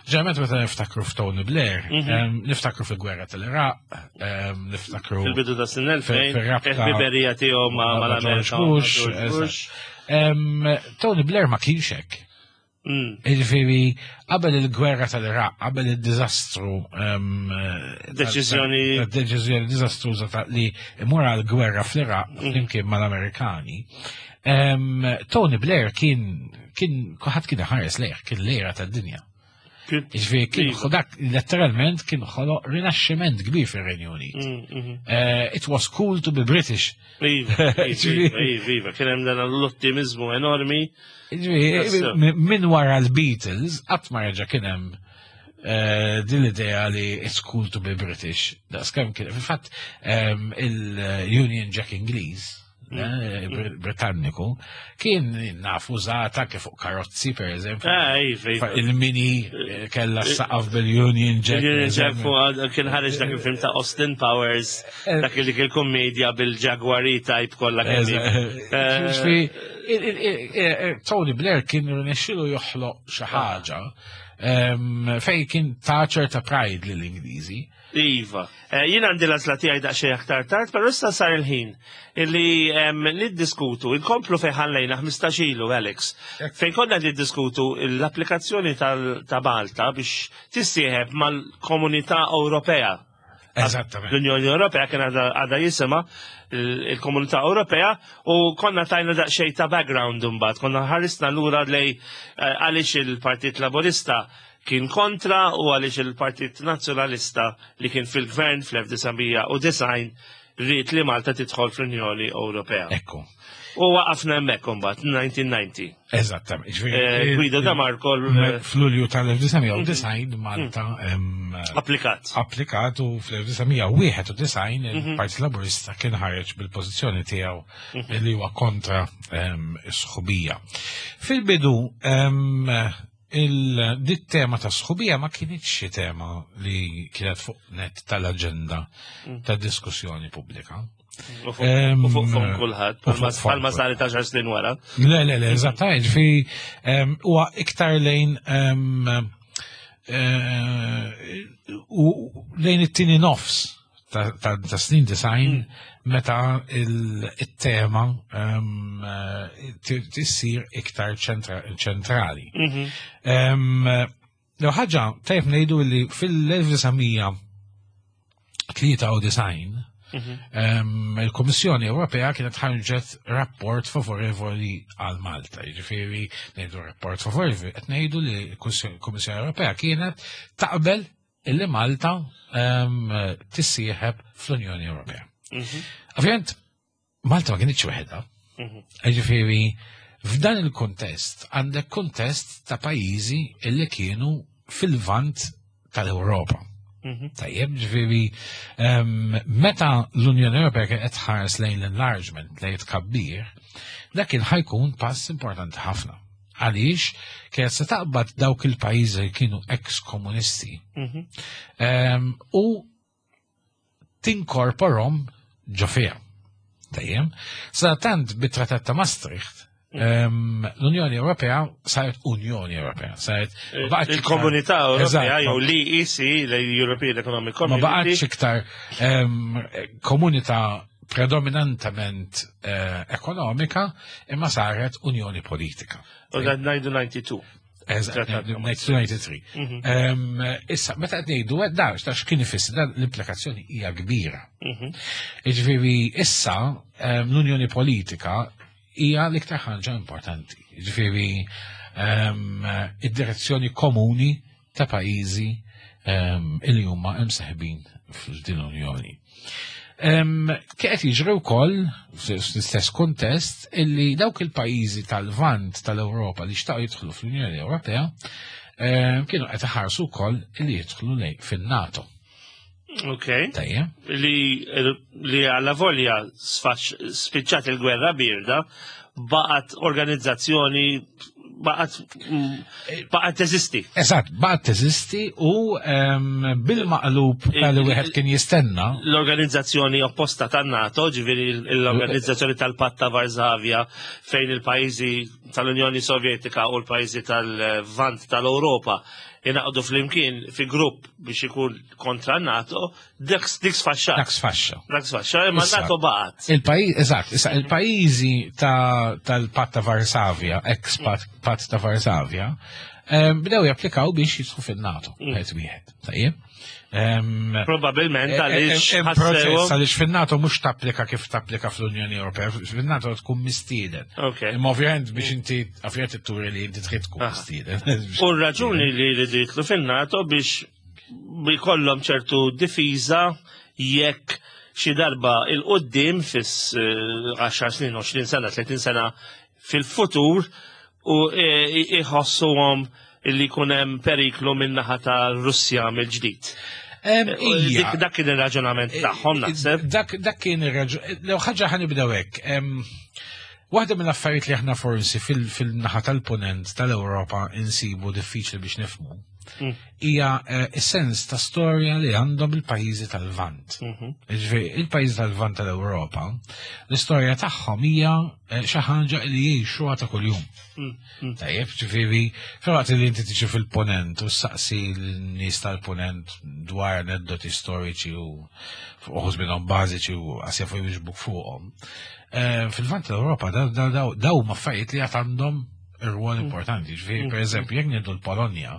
Ġeneralment meta niftakru f'Tony Blair, Mhm. em, niftakru fil-gwerra tal-Iraq, em, niftakru Fil-bidu ta' snin elfejn, fil-rabta il-ħbiberija tiegħu ma' ma' George mal-Amerika. Bush, ma' George Bush. Em, Tony Blair ma kienx hekk. Mm. Ġifieri, qabel il-gwerra tal-Iraq, qabel il-dizastru, em, Deċiżjoni- ta- deċiżjoni diżastruża ta' li imur għal-gwerra fl-Iraq Mm. flimkien mal-Amerikani, em, Tony Blair kien kien kulħadd kien ħares lejh, kien l-era tad-dinja. Ġifieri kien Iva. dak letteralment kien ħoloq rinaxximent kbir fir-Renju Unit. Mm, mhm. Eh, it was cool to be British. Iva, iva, iva, iva, kien hemm dan l-ottimizmu enormi. Ġifieri, Tassew. Minn wara l-Beatles, qatt ma reġa' kien hemm eh, din l-idea li it's cool to be British. Daqs kemm kien, fil-fatt em, il-Union Jack Ingliż, eh, Br- Britanniku, kien naf użata kif fuq karozzi, per eżempju. Ah, iva, iva. Il-Mini eh, kella saqaf bil-Union Jack. per Il-Union Jack eżempju. fuq kien ħareġ dak il-film ta' Austin Powers, Eh. dak li kien komedja bil-Jaguar E-Type kollha kemm hi. Eh, Ġifieri, il- il- il- il- Tony Blair kien rnexxilu joħloq xi ħaġa em, fej kien ta' ċerta pride lill-Ingliżi. Iva. Eh, Jien għandi l-għażla tiegħi daqsxejn aktar tard, però issa sar il-ħin illi em, niddiskutu, inkomplu fejn ħallejna ħmistax ilu, Alex. Fejn konna niddiskutu l-applikazzjoni tal- ta' Malta biex tissieħeb mal-Komunità Ewropea. Eżattament. L-Unjoni Ewropea kien għadha għadha jisimha il- il-Komunità Ewropea u konna tajna daqsxejn ta' background imbagħad, konna ħarisna lura lej eh, għaliex il-Partit Laburista kien kontra u għaliex il-Partit Nazzjonalista li kien fil-gvern fl-elf disa' mija u disgħin ried li Malta tidħol fl-Unjoni Ewropea. Ekku. U waqafna hemmhekk imbagħad elf disa' mija u disgħin. Eżattament. Eh, Guido de Marco l- F'Lulju tal-elf disa' mija u disgħin Malta em, applikat. Applikat u fl-elf disa' mija u wieħed u disgħin il-Partit Laburista kien ħareġ bil-pożizzjoni tiegħu li huwa kontra em, is-sħubija. Fil-bidu em, il-dit tema ta' sħubija ma kienx xi tema li kienet fuq nett tal-aġenda ta' diskussjoni pubblika. U fuq Em, u fuq fuq kulħadd, u fuq bħalma fuq bħalma saret għaxar snin wara. Le, le, le, eżattament, ġifieri, em, huwa iktar lejn em, eh, u lejn it-tieni nofs ta' ta' ta' snin disgħin meta il- il-tema em, eh, ti- tissir iktar ċentra- ċentrali. Mhm. Em, L ħaġa tajb ngħidu li fil-elf disa' mija tlieta u disgħin em, il-Kummissjoni Ewropea kienet ħarġet rapport favorevoli għal Malta. Jiġifieri ngħidu rapport favorevoli, qed ngħidu li l-Kummissjoni Ewropea kienet taqbel illi Malta em, tissieħeb fl-Unjoni Ewropea. Mhm. Ovvjament, Malta ma kienitx weħedha. Mhm. Ġifieri, f'dan il-kontest, għandek kontest ta' pajjiżi illi kienu fil-vant tal-Ewropa. Mhm. Tajjeb, ġifieri, em, meta l-Unjoni Ewropea kienet tħares lejn l-enlargement, lejn tkabbir, dak kien ħa jkun pass importanti ħafna. Għaliex, kienet se taqbad dawk il-pajjiżi li kienu ex-komunisti Mhm. em, u tinkorporhom ġo fiha. Tajjeb, sadattant bit-Trattat ta' Maastricht, em, l-Unjoni Ewropea saret Unjoni Ewropea, saret ma baqgħetx iktar- Il-Komunità Ewropea Eżatt, jew l-E E C, l-European Economic ma Community. baqgħetx iktar em, komunità predominantament eh, ekonomika, imma saret unjoni politika. U dan ngħidu disgħa u disgħin. Eżatt, Trattat ta' elf disa' mija tlieta u disgħin. Mhm. Em, Issa, meta qed ngħidu hekk, da, x'ta x'kien ifisser, dan l-implikazzjoni hija kbira. Mhm. Jiġifieri issa em, l-unjoni politika hija l-iktar ħaġa importanti. Jiġifieri em, id-direzzjoni komuni ta' pajjiżi em, illi huma imseħbin f'din l-unjoni. Em, Kienet jiġri wkoll fl-istess kuntest illi dawk il-pajjiżi tal-Vant tal-Ewropa li xtaqu jidħlu fl-Unjoni Ewropea em, kienu qed iħarsu wkoll illi jidħlu lejn fin-NATO. Ok. Tajjeb. Li li għalla volja sfax- spiċċat il-gwerra birda, baqgħet organizzazzjoni, baqgħet mm, baqgħet teżisti. Eżatt, baqgħet teżisti u em, bil-maqlub tal-li wieħed kien jistenna. L-organizzazzjoni opposta tan-NATO, ġifieri l-organizzazzjoni tal-Patt ta' Varsavja, fejn il-pajjiżi tal-Unjoni Sovjetika u l-pajjiżi tal-Vant tal-Ewropa ingħaqdu flimkien fi grupp biex ikun kontra NATO, dik dik sfaxxat. Dak sfaxxa. Dak sfaxxa, imma Issa. NATO baqgħet. Il-pajjiż, eżatt, issa il-pajjiżi ta' tal-Patt ta' Varsavja, ex-Patt ta' Varsavja, em, bdew japplikaw biex jidħlu fin-NATO, wieħed wieħed. Tajjeb. Em, Probabilment għaliex Hemm proċess ħassew. għaliex fin-NATO mhux tapplika kif tapplika fl-Unjoni Ewropea, fin-NATO tkun mistieden. Ok. Imma ovvjament biex inti ovvjament turi li inti trid tkun Aha. mistieden. U r-raġuni li rridu jidħlu fin-NATO biex jkollhom ċertu difiża jekk xi darba 'il quddiem fis eh, għaxar snin, għoxrin sena, tletin sena fil-futur u eh, iħossuhom li jkun hemm periklu min-naħa ta' Russja mill-ġdid. Em, U ija. Dik dak kien ir-raġunament tagħhom, naħseb. Dak dak kien ir-raġun. Lew ħaġa ħa nibdew hekk. Em, Waħda mill-affarijiet li aħna forsi fil- fil-naħa tal-ponent tal-Ewropa insibu diffiċli biex nifhmu Mm. hija eh, is-sens ta' storja li għandhom il-pajjiżi tal-Lvant. Mhm. Ġifieri, il-pajjiżi tal-Lvant tal-Ewropa, l-istorja tagħhom hija eh, xi ħaġa li jgħixuha ta' kuljum. Mm, mm. Tajjeb, ġifieri, filwaqt li inti tiġi fil-ponent u saqsi l-nies tal-ponent dwar aneddoti storiċi u uħud minnhom bażiċi u qas jafu jwiġbuk fuqhom. Eh, Fil-Lvant tal-Ewropa daw daw daw huma affarijiet li għad għandhom ir-rwol importanti. Ġifieri, per eżempju, jekk ngħidu l-Polonja,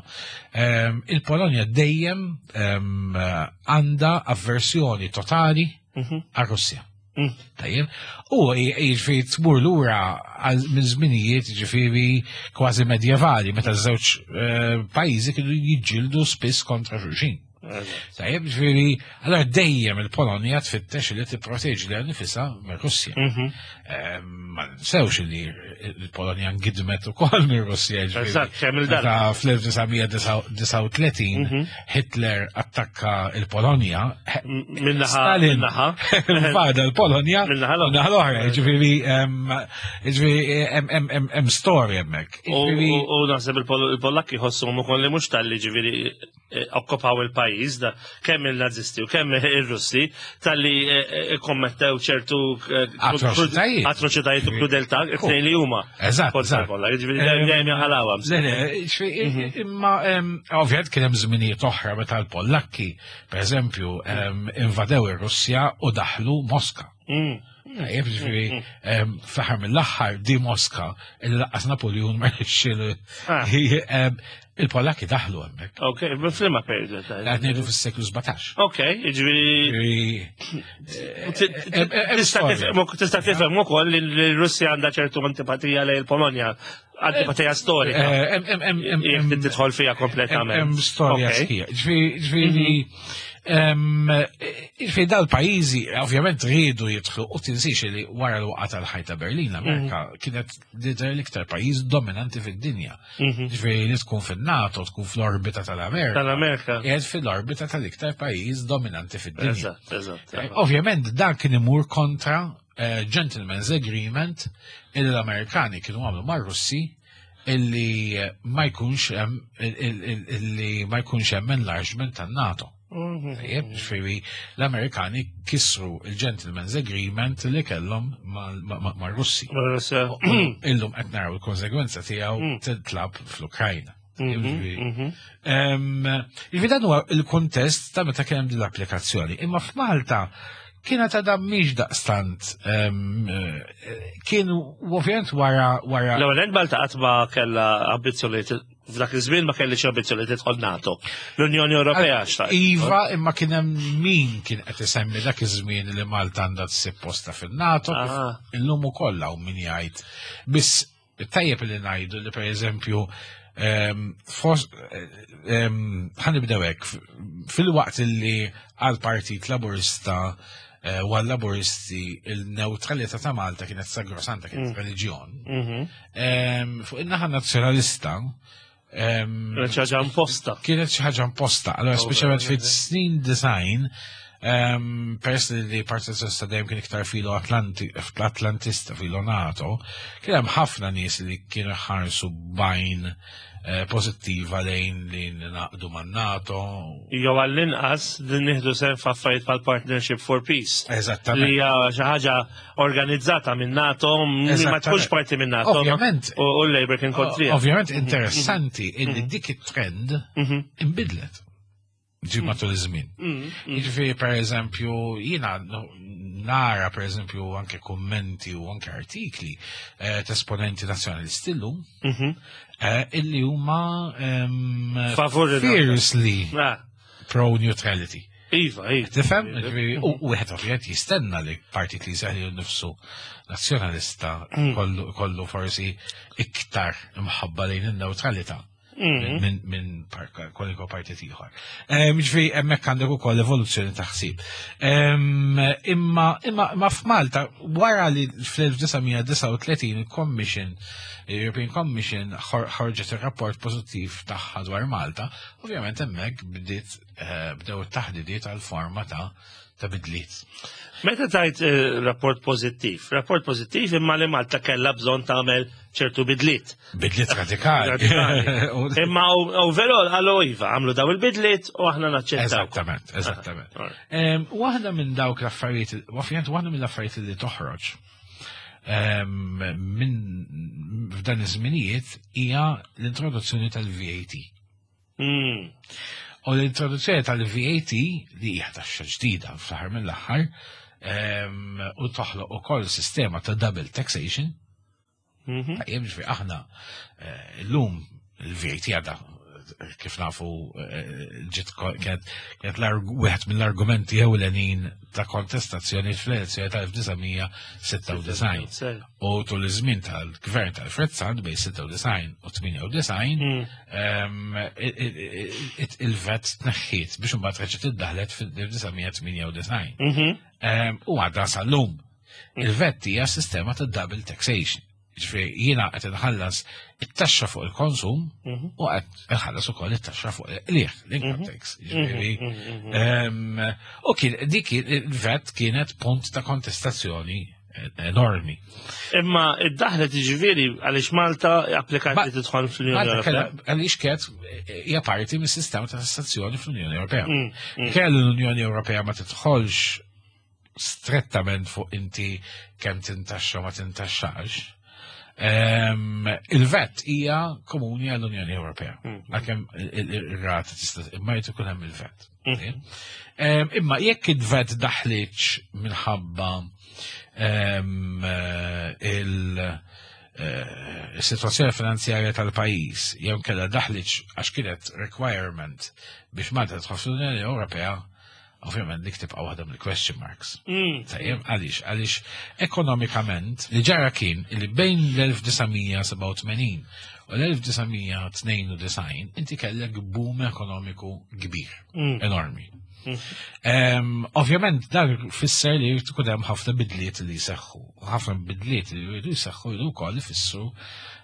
ehm, il-Polonja dejjem ehm, għandha avversjoni totali Mhm. għar-Russja. Mm. Tajjeb. U jiġifieri tmur lura għal minn żminijiet ġifieri kważi medjevali meta ż-żewġ eh, pajjiżi kienu jiġġieldu spiss kontra xulxin. Tajjeb, ġifieri, allora dejjem il-Polonja tfittex li tipproteġi lilha nnifisha mir-Russja. Mhm. Eh, Ma ninsewx li il-Polonja ngidmet ukoll mir-Russja. Ġifieri. Eżatt, kemm il-darba. Meta fl-elf disa' mija disgħa u tletin Mhm. Hitler attakka il-Polonja, Min-naħa, Stalin min-naħa. invada l-Polonja Min-naħa l-oħra. min-naħa l-oħra. Ġifieri, em, ġifieri, hemm- hemm hemm- hemm story hemmhekk. U Ġifieri, u- u naħseb il-Pol- il-Pollakki jħossuhom ukoll li mhux talli, ġifieri, eh, okkupaw il-pajjiż da kemm il-Nazisti u kemm ir-Russi, talli eh, eh, kommettew ċertu eh, Atroċitajiet. atroċitajiet u krudeltà it-tnejn li huma. Eżatt, Kontra eżatt. l-Pollak, ġifieri Em, dejjem jaħalawha. Le, le, ġifieri, imma em, ovvjament kien hemm żminijiet oħra meta l-Pollakki, per eżempju, em, invadew ir-Russja u daħlu Moska. Mm. Tajjeb, ġifieri, em, fl-aħħar mill-aħħar di Moska, illi lanqas Napoleon ma rnexxielu. Ah. Em, Il-Pollakki daħlu hemmhekk. Ok, f'liema periodu ta' Qed ngħidu fis-seklu sbatax. Ok, ġifieri Ġifieri, em- em- tista' storja. tifhem tista' tifhem ukoll li l-Russja għandha ċertu antipatija lejn il-Polonja, antipatija storika. eh, em- em- em- em- Jekk em- tidħol fiha kompletament. Hemm storja Ok. sħiħa. Ġifieri, ġifieri, em, ġifieri dal-pajjiżi ovvjament riedu jidħlu u tinsiex li wara l-waqgħa tal-ħajt ta' Berlin, l-Amerika kienet tidher l-iktar pajjiż dominanti fid-dinja. Ġifieri li tkun fin-NATO, tkun fl-orbita tal-Amerika. Tal-Amerika. Qiegħed fil-orbita tal-iktar pajjiż dominanti fid-dinja. Eżatt, eżatt. Eh, Ovvjament dan kien imur kontra eh, Gentleman's Agreement illi l-Amerikani kienu għamlu mar-Russi illi eh, ma jkunx hemm il- il- il- illi ma jkunx hemm enlargement tan-NATO. Tajjeb, ġifieri l-Amerikani kisru il-Gentleman's Agreement li kellhom mar-Russi. Russja. Illum qed naraw il-konsegwenza tiegħu titlab fl-Ukrajna. Ġifieri, Em, Ġifieri dan huwa il-kontest ta' meta kien hemm din l-applikazzjoni. Imma f'Malta kienet għadha mhix daqstant em, eh, kien ovvjament wara wara L-ewwel Malta qatt ma kellha ambizzjoni f'dak iż-żmien ma kellix ambizzjoni tidħol NATO. L-Unjoni Ewropea xtaqt. Iva, imma kien hemm min kien qed isemmi dak iż-żmien li Malta għandha tsib posta fin-NATO, kif Ah. illum ukoll hawn min jgħid. Biss tajjeb li ngħidu li, pereżempju, em, fos- em, ħa nibdew hekk, fil-waqt li għal Partit Laburista eh, u għal Laburisti il-neutralità ta' Malta kienet sagrosanta, kienet reliġjon. Mhm. Em, Fuq in-naħa nazzjonalista em, Kienet xi ħaġa imposta. Kienet xi ħaġa imposta. Allora, Oh, speċjalment vera, fit-snin disgħin, um, peress li li Partit Nazzjonalista dejjem kien iktar filo Atlanti, Atlantista, filo NATO, kien hemm ħafna nies li kienu ħarsu b'għajn eh, pożittiva lejn li naqdu man-NATO. Jew għall-inqas din nieħdu sehem f'affarijiet bħal Partnership for Peace. Eżattament. Li hija xi ħaġa organizzata minn NATO, li ma Eżattament. tkunx parti minn NATO. Ovvjament. U u l-Labour kien kontrija. Ovvjament interessanti illi dik it-trend imbidlet ġi matul iż-żmien. Jiġifieri, per eżempju, jiena nara, per eżempju, anke kummenti u anke artikli eh, ta' esponenti nazzjonalisti llum eh, illi huma em, Favur il-NATO. fiercely Ah, pro-neutrality. Iva, iva. Tifhem? Ġifieri, U wieħed ovvjament jistenna li partit li jsejjaħ nifsu nazzjonalista kollu, kollu forsi iktar imħabba lejn in-neutralità minn min par- kwalunkwe partit ieħor. Em, Ġifieri hemmhekk għandek ukoll evoluzzjoni ta' ħsieb. Em, Imma imma imma f'Malta wara li fl-elf disa' mija disgħa u tletin il-Commission, European Commission, ħor- ħarġet ir-rapport pożittiv tagħha dwar Malta, ovvjament hemmhekk bdiet eh, bdew it-taħdidiet għal forma ta' ta' bidliet. Meta tajt eh, rapport pożittiv, rapport pożittiv imma li Malta kellha bżonn tagħmel ċertu bidliet. Bidliet radikali. Radikali. U- Imma overall għallu iva, għamlu daw il-bidliet u aħna naċċettaw. Eżattament, eżattament. Ah, alright. Em, Waħda minn dawk l-affarijiet, ovvjament waħda mill affarijiet li toħroġ em, minn f'dan iż-żminijiet hija l-introduzzjoni tal-V A T. Mm. U l-introduzzjoni tal-V A T li hija taxxa ġdida fl-aħħar mill-aħħar em, u toħloq ukoll sistema ta' double taxation. Mhm. Tajjeb, ġifieri aħna eh, llum il-V A T għadha Kif nafu, eh, ġiet ko- kienet kienet l-arg- wieħed mill-argumenti ewlenin ta' kontestazzjoni fl-elezzjoni tal-elf disa' mija sitta u disgħin. Sew. U tul iż-żmien tal-gvern ta' Alfred Sant bejn sitta u disgħin u tmienja u disgħin, Mm. em, il- il- il- il-VAT tneħħiet biex imbagħad reġgħet iddaħlet fil-elf disa' mija tmienja u disgħin. Mhm. Em, U għadha sal-lum. Il-VAT hija sistema ta' double taxation. Ġifieri jiena qed inħallas it-taxxa fuq il-konsum Mhm. u qed inħallas ukoll it-taxxa fuq il-qligħ, l-income tax. Ġifieri, Mhm. em, u kien dik il-VAT kienet punt ta' kontestazzjoni enormi. Imma id-daħlet, ġifieri, għaliex Malta applikat Ma- li tidħol fl-Unjoni Malta Ewropea. kellha, għaliex kienet hija parti mis-sistema ta' tassazzjoni fl-Unjoni Ewropea. Mm, mm. Kellu l-Unjoni Ewropea ma tidħolx strettament fuq inti kemm tintaxxa u ma tintaxxax. Em, Il-VAT hija komuni għall-Unjoni Ewropea. Mm. Għalkemm il-rata tista' imma jrid ikun hemm il-VAT. Mm. Em, Imma jekk il-VAT daħlitx minħabba em, eh, il- eh, il-situazzjoni finanzjarja tal-pajjiż jew kellha daħlitx għax kienet requirement biex Malta tidħol fl-Unjoni Ewropea, ovvjament dik tibqa' waħda mill-question marks. Mm. Tajjeb, għaliex, għaliex ekonomikament li ġara kien li bejn l-elf disa' mija sebgħa u tmenin u l-elf disa' mija tnejn u disgħin inti kellek boom ekonomiku kbir, Mm. enormi. Mm. Em, Ovvjament dan fisser li jrid ikun hemm ħafna bidliet li jseħħu. U ħafna bidliet li jridu jseħħu jridu wkoll ifissru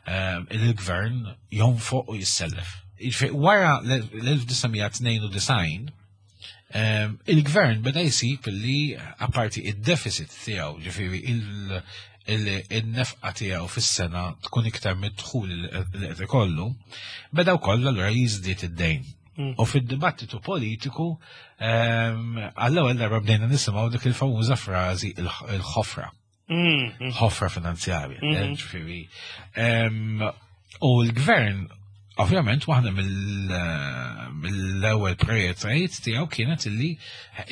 em, li l-gvern jonfoq u jissellef. Jiġifieri, wara l-elf disa' mija tnejn u disgħin em, il-gvern beda jsib li apparti id-deficit tiegħu, ġifieri il- il- il-nefqa tiegħu fis-sena tkun iktar mid-dħul li qed ikollu, beda wkoll allura jiżdied id-dejn. Mm. U fid-dibattitu politiku em, għall-ewwel darba bdejna nisimgħu dik il-famuża frażi il-ħofra, Mm. Mm. ħofra finanzjarja. Mhm. Ġifieri, em, u l-gvern ovvjament waħda mill- mill-ewwel prijoritajiet tiegħu kienet illi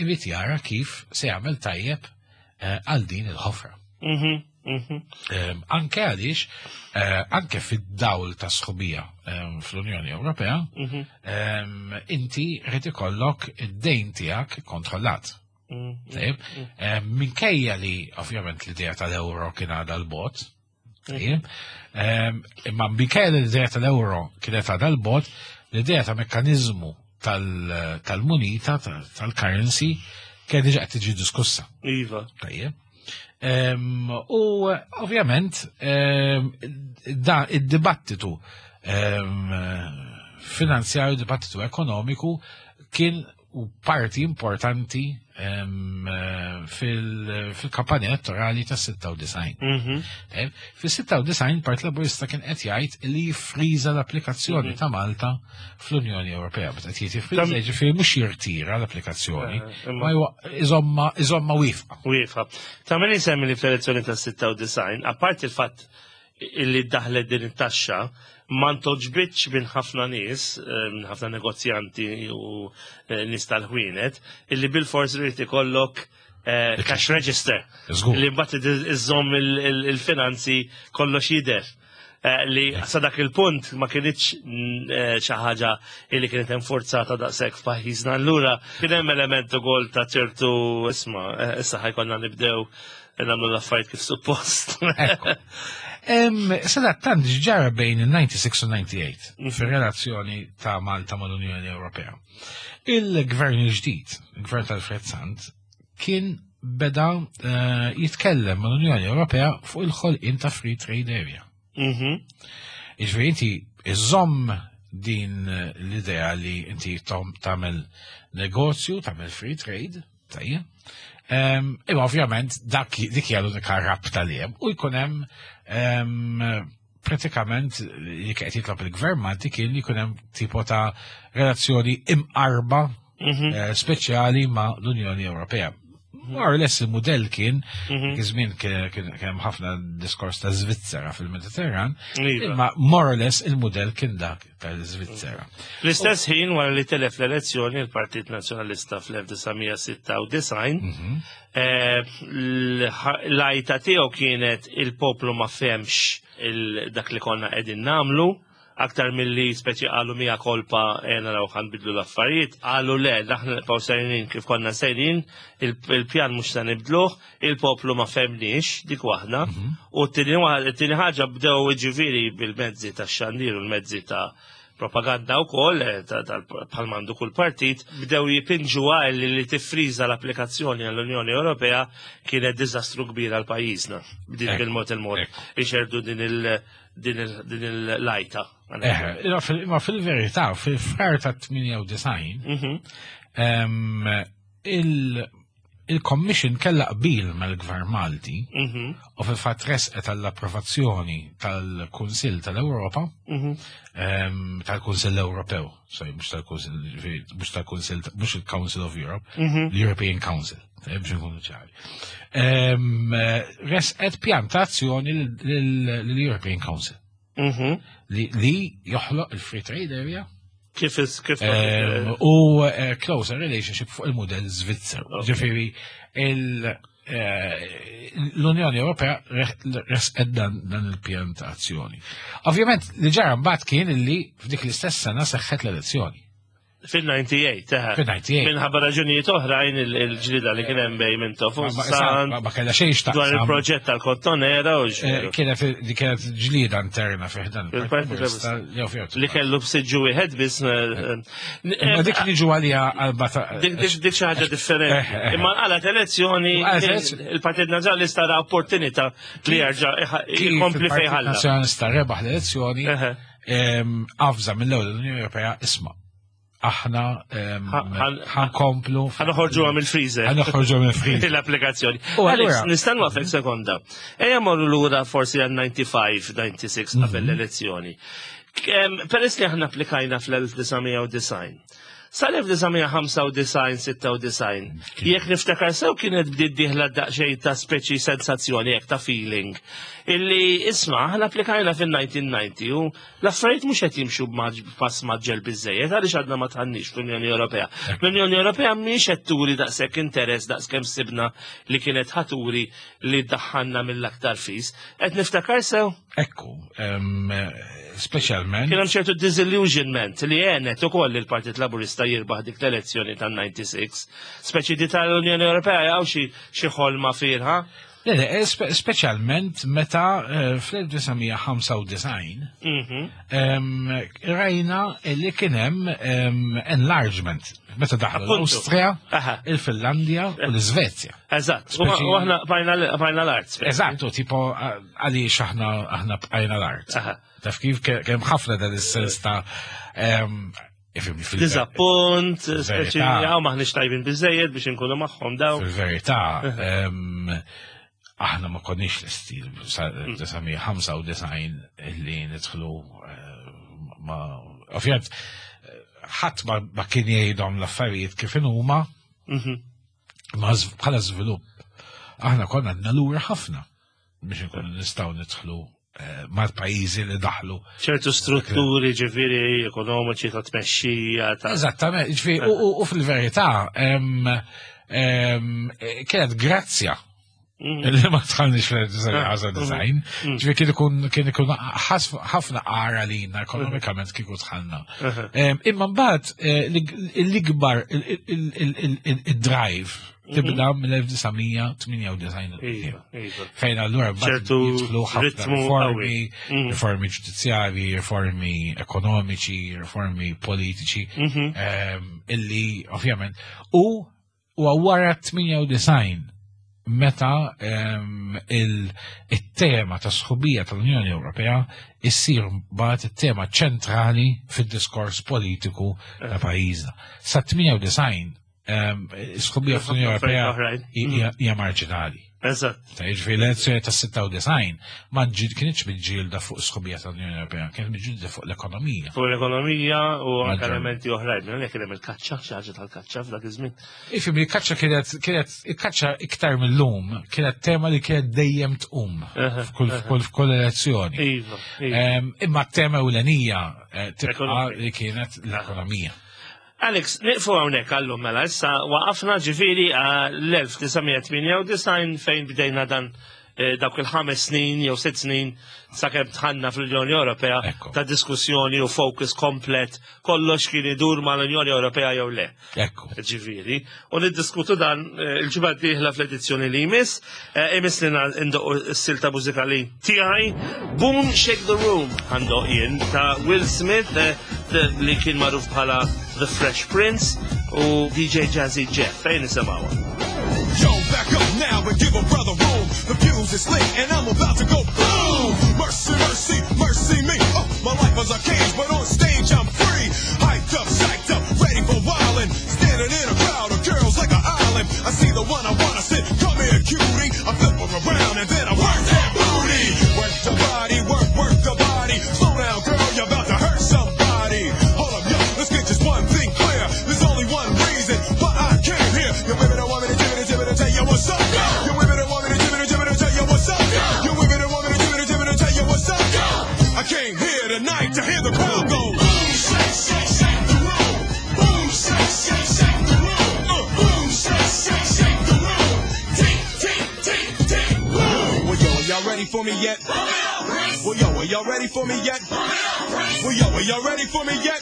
irid jara kif se jagħmel tajjeb eh, għal din il-ħofra. Mhm. Mhm. Em, Anke għaliex, eh, anke fid-dawl ta' sħubija em, fl-Unjoni Ewropea, Mhm. em, inti rrid ikollok id-dejn tiegħek kontrollat. Mm. Tajjeb? Em, Minkejja li ovvjament l-idea tal-euro kien għadha l-bot, tajjeb? Em, Imma minkejja li l-idea tal-euro kienet għadha l-bot, l-idea ta' mekkanizmu tal- tal-munita, tal- tal-currency, kien diġà qed tiġi diskussa. Iva. Tajjeb. Em, U ovvjament em, da id-dibattitu em, finanzjarju, dibattitu ekonomiku kien u parti importanti em, fil- fil-kampanja elettorali ta' sitta u disgħin. Mhm. Tajjeb, fis-sitta u disgħin Partit Laburista kien qed jgħid li jifriża l-applikazzjoni ta' Malta fl-Unjoni Ewropea. Meta qed jgħid jifriża, Tam- jiġifieri mhux jirtira l-applikazzjoni, Eh, imma- ma jwa- iżomma iżomma wieqfa. Wieqfa. Ta' min isemmi li fl-elezzjoni ta' sitta u disgħin, apparti il-fatt illi daħlet din it-taxxa, ma ntogħġbitx minn ħafna nies, eh, minn ħafna negozjanti u eh, nies tal-ħwienet, illi bil-fors irid ikollok eh, cash register. Żgur. Li mbagħad iżżomm il- il- il-finanzi kollox jidher. Eh, Li sa dak il-punt ma kienitx mm, eh, xi ħaġa li kienet enforzata daqshekk f'pajjiżna. Allura kien hemm element ukoll ta' ċertu, isma', eh, issa ħa jkollna nibdew nagħmlu l-affarijiet kif suppost. Ekku. Em, Sadattant ġara bejn il-sitta u disgħin u disgħa u tmienja fir-relazzjoni ta' Malta mal-Unjoni Ewropea. Il-gvern il-ġdid, il-gvern tal-Fred Sant, kien beda eh, jitkellem mal-Unjoni Ewropea fuq il-ħolqien ta' Free Trade Area. Mhm. Jiġifieri inti iżomm din l-idea li inti tom- tagħmel negozju, tagħmel free trade, tajjeb. Em, Imma ovvjament dak dik hija l-unika rabta li hemm u jkun hemm em, pratikament li qed jitlob il-gvern Malti kien li jkun hemm tipo ta' relazzjoni imqarba Mhm. eh, speċjali ma' l-Unjoni Ewropea. More or less il-modell kien, Mhm. kien kien kien hemm ħafna diskors ta' Svizzera fil-Mediterran, Iva. imma more or less il-modell kien dak tal-Svizzera. Fl-istess ħin, wara li telef l-elezzjoni il-Partit Nazzjonalista fl-elf disa' mija sitta u disgħin, Mhm. eh, l-għajta tiegħu kienet il-poplu ma fehemx il- dak li konna qegħdin nagħmlu. Aktar milli speċi qalu mea culpa, naraw ħa nbiddlu l-affarijiet, qalu le, aħna nibqgħu sejrin kif konna sejrin, il-pjan mhux se nibdluh, il-poplu ma fehemniex, dik waħda, u t-tieni ħaġa bdew, ġifieri, bil-mezzi ta' xandir u l-mezzi ta' propaganda u koll, bħal m'għandu kull partit, bdew jipinġu li li tiffriża l-applikazzjoni għall-Unjoni Ewropea kienet diżastru kbir għal pajjiżna. Bdiet bil-mod il-mod. Ixerdu din il- din il-lajta. Ma fil-verità, fil-frar ta' tmienja u disgħin, il-Commission kella qbil mal-Gvern Malti u fil-fatt resqet għall-approvazzjoni tal-Kunsill tal-Ewropa, tal-Kunsill Ewropew, sorry, mhux tal-Kunsill, mhux tal-Kunsill, mhux il-Council of Europe, l-European Council, biex nkunu ċari. Resqet pjan ta' azzjoni l-European Council li joħloq il-Free Trade Area Kif kif u closer relationship fuq il-modell Svizzer. Ġifieri l-Unjoni Ewropea resqet dan il-pjan ta' azzjoni. Ovvjament, li ġara mbagħad kien li f'dik l-istess sena seħħet l-elezzjoni. Fil-disgħa u disgħin, teħe. Fil-disgħa u disgħin. Minħabba raġunijiet oħrajn, il-ġlida li kien hemm bejn Mintoff Ma kellha xejn x'taqsam. Dwar il-proġett tal-Kottonera u eh, Kienet li kienet ġlida interna fih dan il-Partit li kellu b'siġġu wieħed biss. Eh, Imma dik li ġu għalija għalba. Dik dik xi ħaġa differenti. Eh, Imma għalat elezzjoni, il-Partit Nazzjonalista ra opportunità li jerġa' jkompli fejn ħalla. Nazzjonalista rebaħ l-elezzjoni, avża mill-ewwel l-Unjoni Ewropea, isma', aħna ħa nkomplu. Ħa noħorġu mill-freezer. Ħa noħorġu mill-freezer. L-applikazzjoni. Alex, nista' nwaqqfek sekonda? Ejja morru lura forsi għal disgħa u disgħin, disgħa u disgħin, qabel l-elezzjoni. Peress li aħna applikajna fl-elf disa' mija u disgħin, sal-elf disa' mija u ħamsa u disgħin, sitta u disgħin, jekk niftakar sew, kienet bdiet dieħla daqsxejn ta' speċi sensazzjoni jekk ta' feeling illi, isma', aħna applikajna fil-elf disa' mija u disgħin u l-affarijiet mhux qed jimxu b'pass mgħaġġel biżejjed, għaliex għadna ma dħalniex fl-Unjoni Ewropea? L-Unjoni Ewropea mhix qed turi daqshekk interess daqskemm sibna li kienet ħa turi li ddaħħalna mill-aktar fis. Qed niftakar sew? Ekku, speċjalment. Kien hemm ċertu disillusionment li għenet ukoll il-Partit Laburista jirbaħ dik l-elezzjoni tan-disgħa u disgħin. Speċi di tal-Unjoni Ewropea jew xi xi ħolma firħa. Le, le, speċjalment meta eh, fl-elf disa' mija u ħamsa u disgħin Mhm. rajna li kien hemm enlargement meta daħlu l-Awstrija, il-Finlandja u l-Svezja. Eżatt, u aħna bqajna l-art. Eżatt, u tipo għaliex aħna aħna bqajna l-art? Taf kif kemm ħafna dan is-sens ta' Dizappunt, speċi għaw maħniex tajbin biżejjed biex inkunu magħhom daw. Fil-verità, aħna ma konniex lesti ħamsa u disgħin li nidħlu eh, ma ovvjament ħadd ma kien jgħidhom l-affarijiet kif huma, mhm. ma bħala żvilupp aħna konna għadna lura ħafna biex nkunu nistgħu nidħlu eh, mal-pajjiżi li daħlu. Ċertu strutturi, ġifieri, ekonomiċi, ta' tmexxija ta' Eżattament, ġifieri, u fil-verità kienet grazzja Mm. li ma dħalniex fil-disgħin. Ġifieri kien ikun kien ikun ħafna għara lina ekonomikament kieku dħalna. Imma mbagħad eh, l-ikbar il-drive tibda mill-elf disa' mija u tmienja u disgħin. Iva, iva. Fejn allura mbagħad ċertu jidħlu ħafna ritmu riformi, qawwi. riformi ġudizzjarji, riformi ekonomiċi, riformi politiċi, Mhm. ehm, illi ovvjament u u wara tmienja u disgħin meta ehm, il- il-tema ta' sħubija tal-Unjoni Ewropea issir mbagħad it-tema ċentrali fid-diskors politiku ta' pajjiżna. Sa tmienja u disgħin ehm, is-sħubija fl-Unjoni Ewropea Oħrajn. hija hija marġinali. Eżatt. Ta' jiġifieri l-elezzjoni ta' sitta u disgħin ma ġid kienx miġġielda fuq sħubija tal-Unjoni Ewropea, kienet miġġielda fuq l-ekonomija. Fuq l-ekonomija u anke Maġġor. elementi oħrajn. Minn kien hemm il-kaċċa, xi ħaġa tal-kaċċa f'dak iż-żmien. Ifhem, il-kaċċa kienet kienet il-kaċċa iktar mill-lum kienet tema li kienet dejjem tqum Aha, f'kull f'kull f'kull elezzjoni. Iva, iva. Em, Imma t-tema ewlenija eh, tibqa' Ekonomija. li kienet l-ekonomija. Alex, nieqfu hawnhekk għallum mela, issa waqafna, ġifieri, l-elf disa' mija u tmienja u disgħin fejn bdejna dan eh, dawk il-ħames snin jew sitt snin sakemm dħalna fl-Unjoni Ewropea Ekku. ta' diskussjoni u focus komplet, kollox kien idur mal-Unjoni Ewropea jew le. Ekku. Ġifieri, u niddiskutu dan eh, il-ġimgħa d-dieħla fl-edizzjoni li jmiss, eh, imiss li ndoqqu s-silta mużikali tiegħi, Boom Shake the Room għandoq jien ta' Will Smith, eh, the- li kien magħruf bħala The Fresh Prince, u D J Jazzy Jeff, fejn nisimgħuha. Yo, back up now and give a brother room. The fuse is lit and I'm about to go boom. Mercy, mercy, mercy me. Oh, my life is a cage, but on stage I'm free. Hyped up, psyched up, ready for wildin'. Standing in a crowd of girls like an island. I see the one I wanna sit. Come here, cutie. I flip her around and then I work that booty. Work the body, work, work the body. Slow down, girl, you're about to hurt somebody. Hold up, yo, let's get just one thing clear. There's only one reason why I came here. You women don't want me to give it, give it, tell you what's up. You women don't want me to give it, give it, tell you what's up. You women don't want me to give it, give it, tell you what's up. I came here tonight to hear the crowd go. Boom, shake, shake, shake the room. Boom, shake, shake, shake the room. Uh, boom, shake, shake, shake the room. Tick, tick, tick, tick, boom. Well, yo, are y'all ready for me yet? Well, yo, are y'all ready for me yet? Well, yo, are y'all ready for me yet?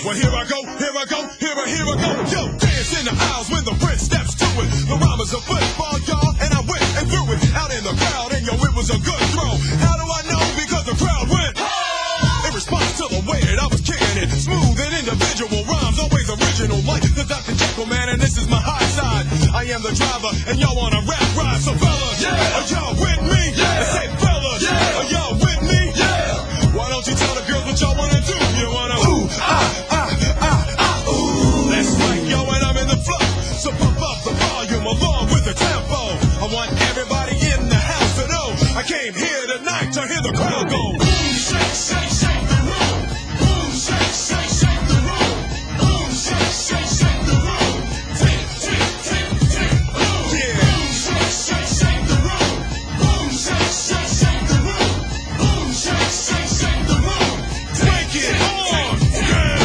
Well, here I go, here I go, here I, here I go. Yo, dance in the aisles when the prince steps to it. The rhyme is a football, y'all, and I went and threw it out in the crowd, and yo, it was a good throw. How do I know? Because the crowd went in response to the way that I was kicking it. Smooth and individual rhymes, always original, like the Doctor Jekyll man, and this is my high side. I am the driver, and y'all on a rap ride. So fellas, yeah, are y'all with me? Yeah. I say fellas, yeah, are y'all with me? Yeah. Why don't you tell the girls what y'all wanna do? You wanna ooh, ah, ah, ah, ah, ooh. That's right, yo, and I'm in the flow. So pump up the volume along with the tempo. I want everybody in the house to know I came here tonight to hear the crowd go. Boom, shake, shake, shake the room. Boom, shake, shake, shake the room. Boom, shake, shake, shake the room. Tick, tick, tick, tick, boom. Yeah. Boom, shake, shake, shake the room. Boom, shake, shake, shake the room. Boom, shake, shake, shake the room. Take it on down.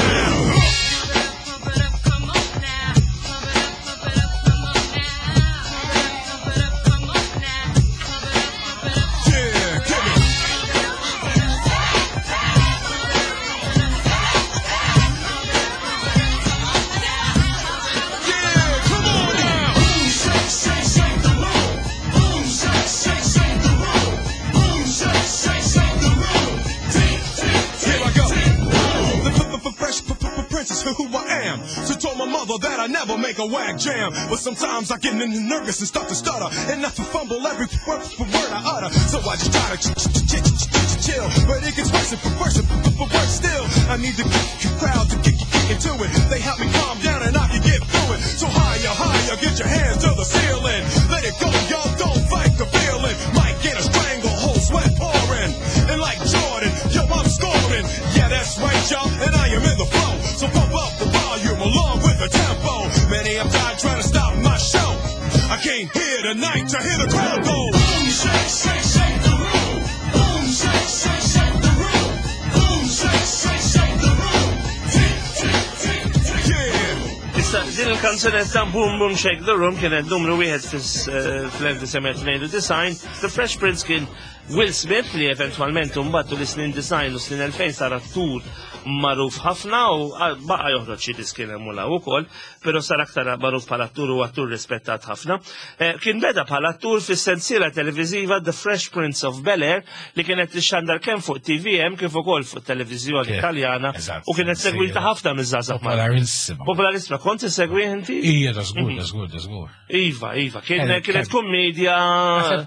Pump it up, come on now. Pump it up, pump it up, come on now. Pump it up, come on now. Pump it up, pump it up. Yeah, give it. Yeah, come on now. Boom, shake, shake, shake the room. Boom, shake, shake, shake the room. Boom, shake, shake, shake the room. Tick, tick, tick. Here I go. The f- f- fresh p- p- prince is who I am. So told my mother that I never make a whack jam. But sometimes I get n- nervous and start to stutter. And I fumble every word, word I utter. So I just try to ch- ch- ch- ch- ch- chill. But it gets worse and worse and worse still. I need the c- crowd to get, get into it. They help me calm down and I can get through it. So higher, higher, get your hands to the ceiling. Let it go, y'all, don't fight the feeling. Might get a stranglehold, sweat pouring. And like Jordan, yo, I'm scoring. Yeah, that's right, y'all, and I am in the flow. So pump up the volume along with the tempo. Many have died trying to stop my show. I came here tonight to hear the crowd go. Boom, shake, shake, shake the room. Boom, shake, shake, shake the room. Boom, shake, shake, shake the room. Tick, tick, tick, tick. Yeah. Issa, din il-kanzunetta Boom Boom Shake the Room kienet numru wieħed fl-elf disa' mija tnejn u disgħin. The Fresh Prince kien Will Smith, li eventwalment mbagħad l-snin disgħin u snin elfejn sar attur magħruf ħafna u baqa' joħroġ xi diski hemm ukoll, però sar aktar magħruf bħala attur u attur rispettat ħafna. Eh, kien beda bħala attur fis-sensiela televiżiva The Fresh Prince of Bel-Air, li kienet tixxandar kemm fuq T V M kif ukoll fuq televiżjoni Italjana u kienet segwita ħafna miż-żgħażagħ. Popolarissima. Popolarissima. Kont issegwi inti? Ija, da żgur, da żgur, da żgur. Iva, iva, kienet kummedja.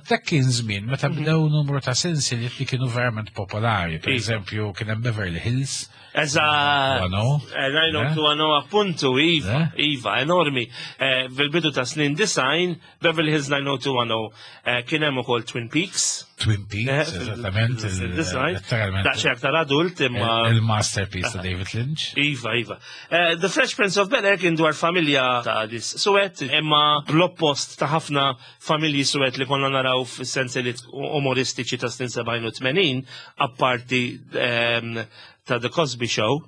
Dak kien żmien meta bdew numru ta' sensiliet li kienu verament popolari. Per eżempju, kien hemm Beverly Hills. Eżatt. nine oh two one oh, appuntu, iva, iva, enormi. Fil-bidu ta' snin disgħin, Beverly Hills nine oh two one oh, kien hemm ukoll Twin Peaks. Twin Peaks, eżattament. Daqsxejn aktar adult imma. Il-masterpiece ta' David Lynch. Iva, iva. The Fresh Prince of Bel-Air kien dwar familja ta' nies suwed, imma bl-oppost ta' ħafna familji suwed li konna naraw fis-sensiliet umoristiċi ta' snin sebgħin u tmenin, apparti ta' The Cosby Show.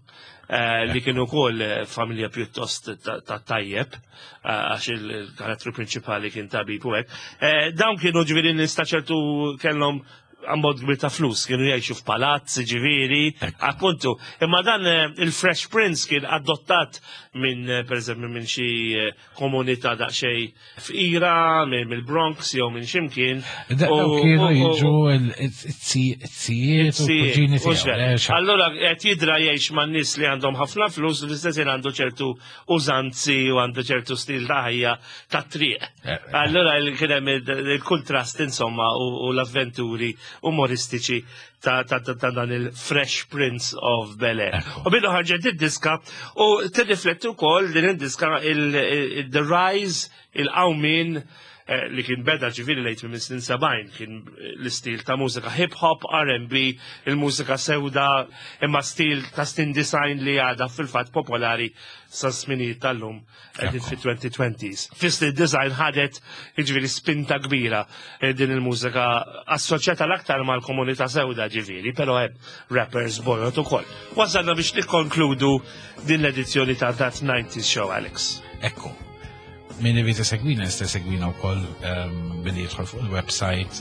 eh, li kienu wkoll eh, familja pjuttost ta' ta' tajjeb, eh, għax il-karattru prinċipali kien tabib u hekk. Eh, Dawn kienu ġifieri nies ta' ċertu kellhom ammont kbir ta' flus, kienu jgħixu f'palazz, ġifieri, appuntu. Imma dan eh, il-Fresh Prince kien adottat minn, eh, per eżempju, minn xi eh, komunità daqsxejn fqira, minn mill-Bronx jew minn ximkien. Da- U- Daw kienu u- u- jiġu il-zijiet u l-kuġini Mhux tiegħu. vera. le, xa- Allora qed jidra jgħix man nies li għandhom ħafna flus u fl-istess ħin għandu ċertu użanzi u għandu ċertu stil ta' ħajja ta' triq. Eh, eh. Allora il- kien hemm il- il-kuntrast insomma u u l-avventuri umoristiċi ta' ta' ta' ta' dan il-Fresh Prince of Bel-Air. Ekku. U billu ħarġet id-diska u tirrifletti wkoll din id-diska il- il- the rise, il-qawmin eh, li kien beda ġifieri lejt minn snin sebgħin, kien l-istil ta' mużika hip hop, R and B, il-mużika sewda, imma stil ta' snin disgħin li għada fil-fatt popolari sa' sminijiet tal-lum qegħdin Ekku. fit-twenty twenties. Fis-snin disgħin ħadet ġifieri spinta kbira eh, din il-mużika assoċjata l-aktar mal-komunità sewda ġifieri, però hemm rappers bojod ukoll. Wasalna biex nikkonkludu din l-edizzjoni ta' That nineties Show, Alex. Ekku. Min irid isegwina jista' jsegwina wkoll ehm, billi jidħol fuq il-website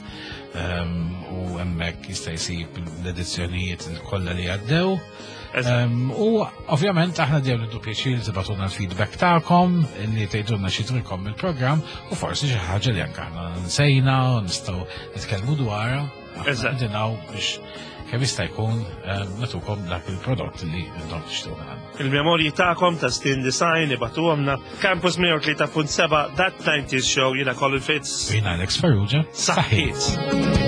ehm, u hemmhekk jista' jsib l-edizzjonijiet kollha li għaddew. Eżatt. Ehm, u ovvjament aħna dejjem nieħdu pjaċir li tibagħtulna l-feedback tagħkom, li tgħidulna xi trilkom il-programm u forsi xi ħaġa li anke aħna nsejna u nistgħu nitkellmu dwarha. Aħna Eżatt. qegħdin hawn biex kemm jista' jkun ehm, nagħtukom dak il-prodott li intom tixtiequ minn għandna. Il-memorji tagħkom ta' snin disgħin ibagħtuhomlna. Campus mija u tlieta punt sebgħa, That nineties Show, jiena Colin Fitz. Jiena Alex Farrugia. Saħħiet.